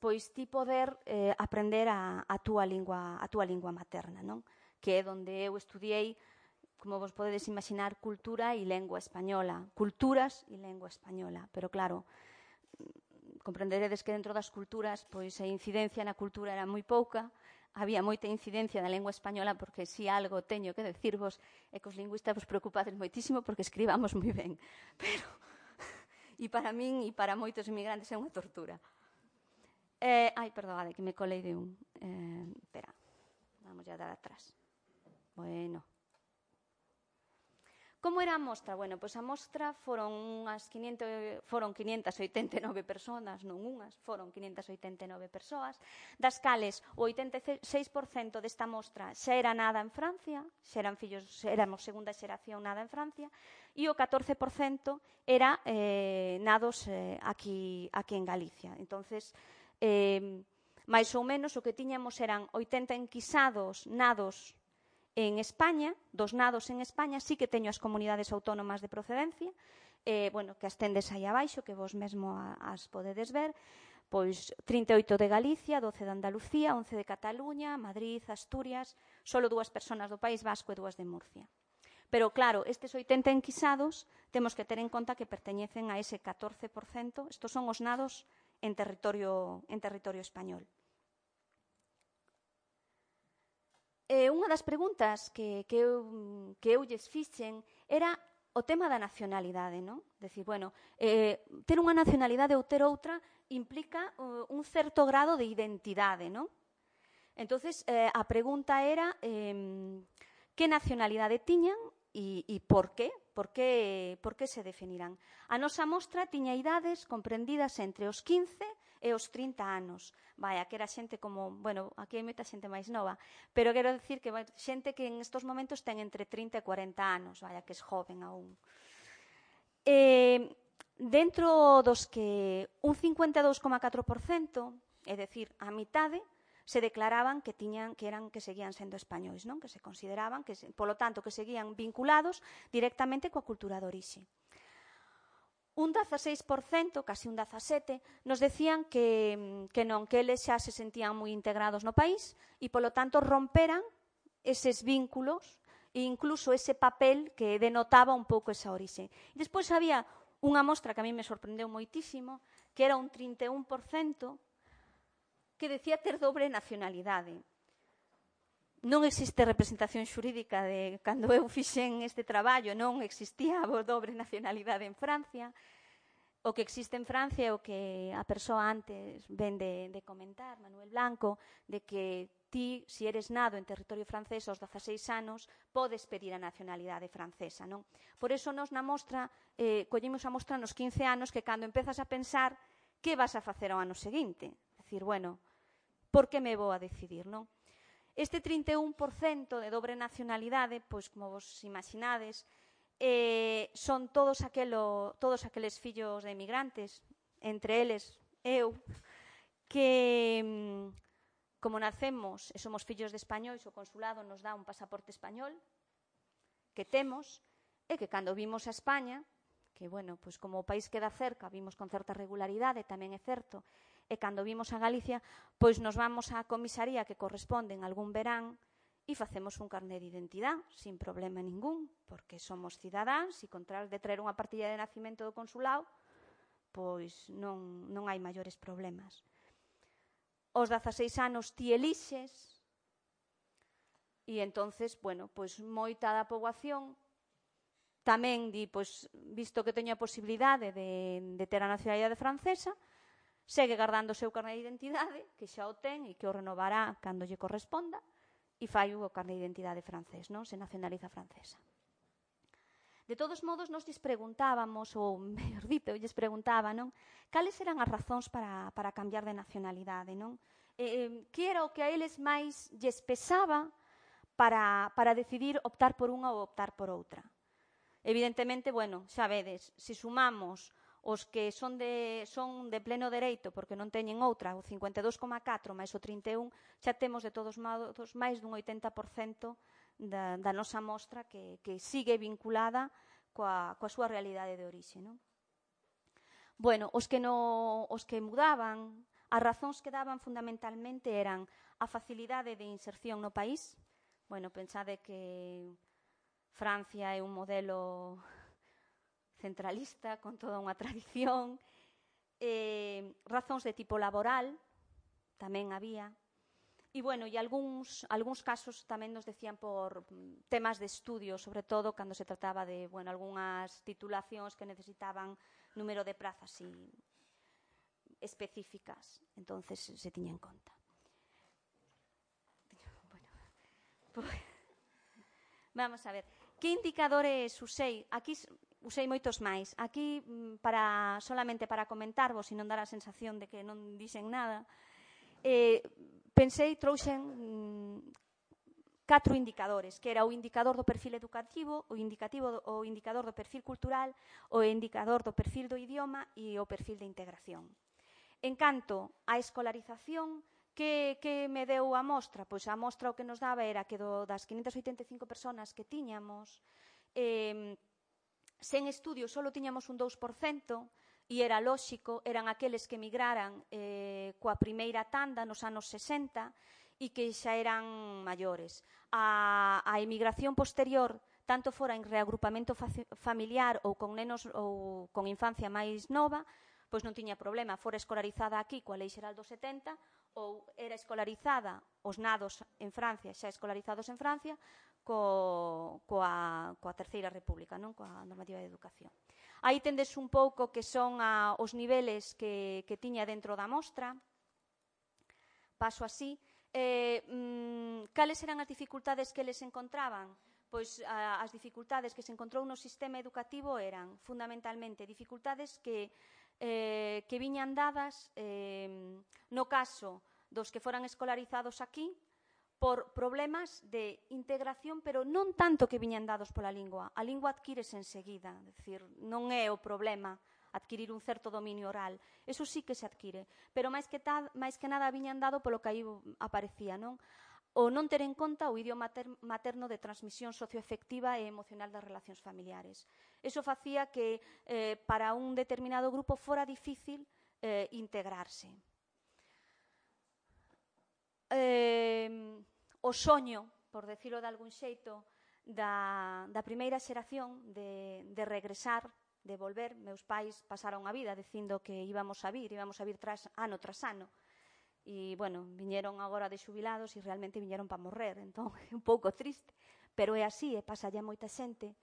D: pois ti poder aprender a túa lingua materna, non? Que é onde eu estudiei, como vos podedes imaginar, cultura e lengua española, culturas e lengua española, pero claro, comprenderedes que dentro das culturas, pois a incidencia na cultura era moi pouca, había moita incidencia na lengua española, porque si algo teño que decirvos é que os lingüistas vos preocupades moitísimo porque escribamos moi ben, pero e para min e para moitos inmigrantes é unha tortura. Perdón, que me colei de un... Espera, vamos a dar atrás. Bueno. Como era a mostra? Bueno, pois a mostra foron 589 persoas, non unhas, foron 589 persoas, das cales o 86% desta mostra xa era nada en Francia, xa eran fillos, éramos segunda xeración nada en Francia, e o 14% era nados aquí en Galicia. Entonces, máis ou menos o que tiñamos eran 80 enquisados nados en España, dos nados en España, sí que teño as comunidades autónomas de procedencia, bueno, que as tendes aí abaixo, que vos mesmo as podedes ver, pois 38 de Galicia, 12 de Andalucía, 11 de Cataluña, Madrid, Asturias, solo 2 persoas do País Vasco e 2 de Murcia. Pero, claro, estes 80 enquisados temos que ter en conta que perteñecen a ese 14%, estos son os nados en territorio español. Unha das preguntas que eu lles fixen era o tema da nacionalidade, non? Decir, bueno, ter unha nacionalidade ou ter outra implica un certo grado de identidade, non? Entonces, a pregunta era que nacionalidade tiñan e por qué? Por que se definirán? A nosa mostra tiña idades comprendidas entre os 15 e os 30 anos. Vaya, que era xente como, bueno, aquí hai moita xente máis nova, pero quero dicir que xente que en estos momentos ten entre 30 e 40 anos, vaya, que é joven aún. Dentro dos que un 52,4%, é dicir, a mitade, se declaraban que seguían sendo españois, non? Que se consideraban, polo tanto, que seguían vinculados directamente coa cultura de orixe. Un 16%, casi un 17%, nos decían que non, que eles xa se sentían moi integrados no país e, polo tanto, romperan eses vínculos e incluso ese papel que denotaba un pouco esa orixe. E despois había unha mostra que a mí me sorprendeu moitísimo, que era un 31%, que decía ter dobre nacionalidade. Non existe representación xurídica de cando eu fixen este traballo, non existía a dobre nacionalidade en Francia. O que existe en Francia é o que a persoa antes ven de comentar, Manuel Blanco, de que ti, se eres nado en territorio francés aos 16 anos, podes pedir a nacionalidade francesa, non? Por iso nos na mostra, collimos a mostra nos 15 anos, que cando empezas a pensar que vas a facer ao ano seguinte. Decir, bueno, por que me vou a decidir, non? Este 31% de dobre nacionalidade, pois, como vos imaginades, son todos aqueles fillos de emigrantes, entre eles eu, que como nacemos e somos fillos de españois, o consulado nos dá un pasaporte español que temos, e que cando vimos a España, que, bueno, pois como o país queda cerca, vimos con certa regularidade, tamén é certo, e cando vimos a Galicia, pois nos vamos á comisaría que corresponde en algún verán e facemos un carné de identidade, sin problema ningún, porque somos cidadáns e contra de traer unha partilla de nacimento do consulado, pois non hai maiores problemas. Aos 16 anos ti elixes e entonces, bueno, pois moita da poboación tamén di, pois, visto que teño a posibilidade de ter a nacionalidade francesa, segue guardando o seu carné de identidade, que xa o ten e que o renovará cando lle corresponda, e fai o carné de identidade francés, non? Se nacionaliza francesa. De todos modos, nos lles preguntábamos, ou, mellor dito, lles preguntaba, non? Cales eran as razóns para cambiar de nacionalidade, non? Que era o que a eles máis lles pesaba para decidir optar por unha ou optar por outra? Evidentemente, bueno, xa vedes, se sumamos os que son de pleno dereito porque non teñen outra, o 52,4 máis o 31, xa temos de todos modos máis dun 80% da nosa mostra que sigue vinculada coa súa realidade de orixe, non? Bueno, os que mudaban, as razóns que daban fundamentalmente eran a facilidade de inserción no país. Bueno, pensade que Francia é un modelo centralista, con toda unha tradición. Razóns de tipo laboral tamén había. E, bueno, e algúns casos tamén nos decían por temas de estudio, sobre todo cando se trataba de, bueno, algunhas titulacións que necesitaban número de prazas específicas. Entonces se tiña en conta. Bueno, pues, vamos a ver. Que indicadores usei? Aquí usei moitos máis. Aquí, solamente para comentarvos e non dar a sensación de que non dixen nada, trouxen 4 indicadores, que era o indicador do perfil educativo, o indicador do perfil cultural, o indicador do perfil do idioma e o perfil de integración. En canto á escolarización, que me deu a mostra? Pois a mostra o que nos daba era que das 585 personas que tiñamos, sen estudio só tiñamos un 2%, e era lóxico, eran aqueles que emigraran coa primeira tanda nos anos 60 e que xa eran maiores. A emigración posterior, tanto fora en reagrupamento familiar ou con nenos ou con infancia máis nova, pois non tiña problema, fora escolarizada aquí coa Lei Xeral do 70 ou era escolarizada os nados en Francia, xa escolarizados en Francia, coa Terceira República, non? Coa normativa de educación. Aí tendes un pouco que son os niveles que tiña dentro da mostra. Paso así. Cales eran as dificultades que eles encontraban? Pois as dificultades que se encontrou no sistema educativo eran fundamentalmente dificultades que viñan dadas no caso dos que foran escolarizados aquí por problemas de integración, pero non tanto que viñan dados pola lingua. A lingua adquírese enseguida, é dicir, non é o problema adquirir un certo dominio oral. Eso sí que se adquire, pero máis que nada viñan dado polo que aí aparecía, non? O non ter en conta o idioma materno de transmisión socioafectiva e emocional das relacións familiares. Eso facía que para un determinado grupo fora difícil integrarse. O soño, por decirlo de algún xeito, da primeira xeración de regresar, de volver. Meus pais pasaron a vida dicindo que íbamos a vir ano tras ano. E, bueno, viñeron agora de xubilados e realmente viñeron para morrer, entón é un pouco triste, pero é así, e pasa ya moita xente.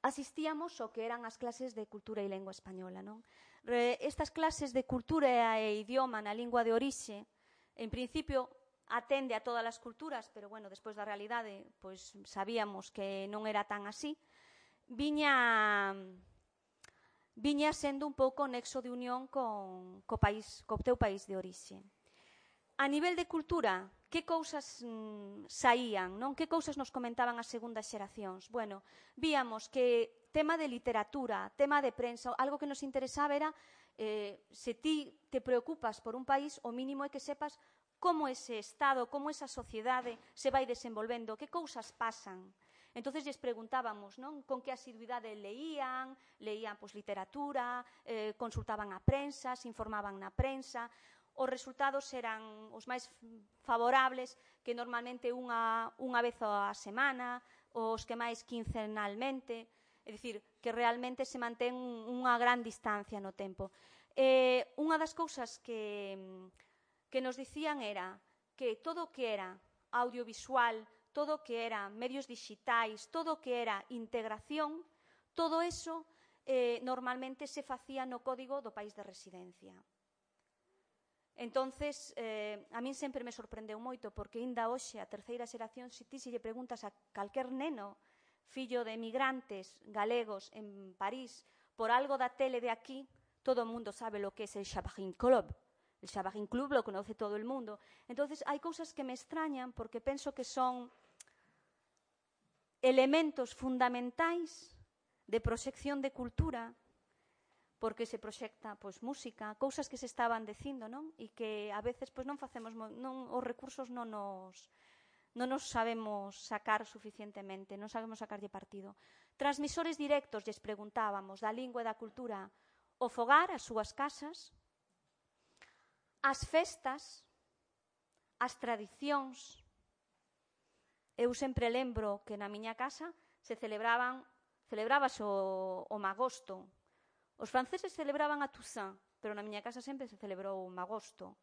D: Asistíamos ao que eran as clases de cultura e lengua española, non? Estas clases de cultura e idioma na lingua de orixe, en principio, atende a todas as culturas, pero, bueno, despois da realidade, pois sabíamos que non era tan así. Viña sendo un pouco nexo de unión co teu país de orixe. A nivel de cultura, que cousas saían, non? Que cousas nos comentaban as segundas xeracións? Bueno, víamos que tema de literatura, tema de prensa, algo que nos interesaba era se ti te preocupas por un país, o mínimo é que sepas como ese Estado, como esa sociedade se vai desenvolvendo, que cousas pasan. Entonces lles preguntábamos, non, con que asiduidade leían pois, literatura, consultaban a prensa, se informaban na prensa. Os resultados eran os máis favorables, que normalmente unha vez a semana, os que máis quincenalmente, é dicir, que realmente se mantén unha gran distancia no tempo. Unha das cousas que nos dicían era que todo o que era audiovisual, todo o que era medios digitais, todo o que era integración, todo eso normalmente se facía no código do país de residencia. Entonces, a min sempre me sorprendeu moito, porque ainda hoxe a terceira xeración, se ti se lle preguntas a calquer neno fillo de emigrantes galegos en París por algo da tele de aquí, todo o mundo sabe lo que es el Chabarín Club. El Chabarín Club lo conoce todo el mundo. Entonces, hai cousas que me extrañan porque penso que son elementos fundamentais de proxección de cultura, porque se proxecta pois, música, cousas que se estaban dicindo, non? E que a veces pois, non facemos, os recursos non nos sabemos sacar suficientemente, non sabemos sacarlle partido. Transmisores directos, lles preguntábamos, da lingua e da cultura, o fogar, as súas casas, as festas, as tradicións. Eu sempre lembro que na miña casa se celebrábase o magosto. Os franceses celebraban a Toussaint, pero na miña casa sempre se celebrou o magosto.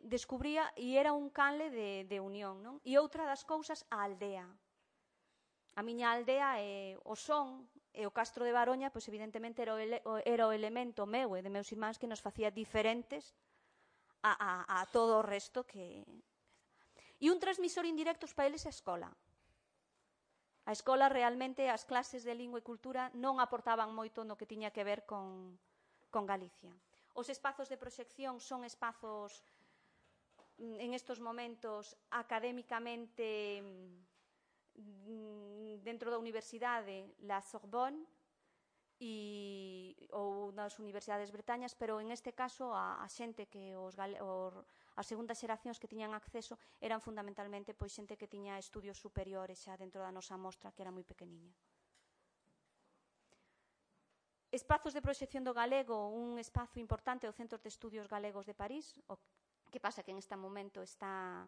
D: Descubría, e era un canle de unión, non? E outra das cousas, a aldea. A miña aldea é o son, e o Castro de Baroña, pois evidentemente era o elemento meu e de meus irmáns que nos facía diferentes a todo o resto que... E un transmisor indirecto para eles é a escola. A escola realmente, as clases de lingua e cultura non aportaban moito no que tiña que ver con Galicia. Os espazos de proxección son espazos en estos momentos académicamente dentro da universidade, la Sorbonne ou nas universidades bretañas, pero en este caso a xente que as segundas xeracións que tiñan acceso eran fundamentalmente pois xente que tiña estudios superiores xa dentro da nosa mostra, que era moi pequeniña. Espazos de proxección do galego, un espazo importante é o Centro de Estudios Galegos de París, o que pasa que en este momento está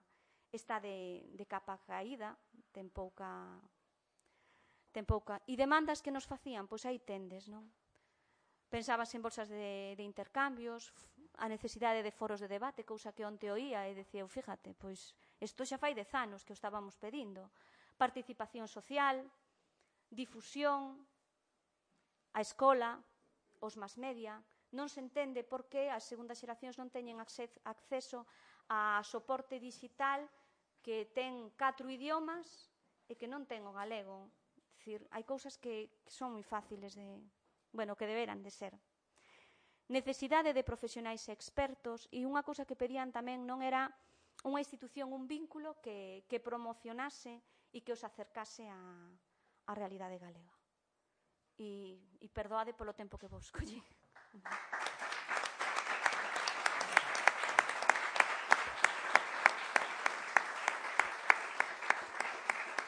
D: de capa caída, ten pouca... E demandas que nos facían, pois aí tendes, non? Pensábase en bolsas de intercambios, a necesidade de foros de debate, cousa que onte oía e decía, fíjate, pois isto xa fai 10 anos que o estábamos pedindo. Participación social, difusión, a escola, os mass media. Non se entende por que as segundas xeracións non teñen acceso a soporte digital que ten 4 idiomas e que non ten o galego. É dicir, hai cousas que son moi fáciles de... Bueno, que deberan de ser. Necesidade de profesionais expertos, e unha cousa que pedían tamén non era unha institución, un vínculo que promocionase e que os acercase á realidade galega. E perdoade polo tempo que vos collí.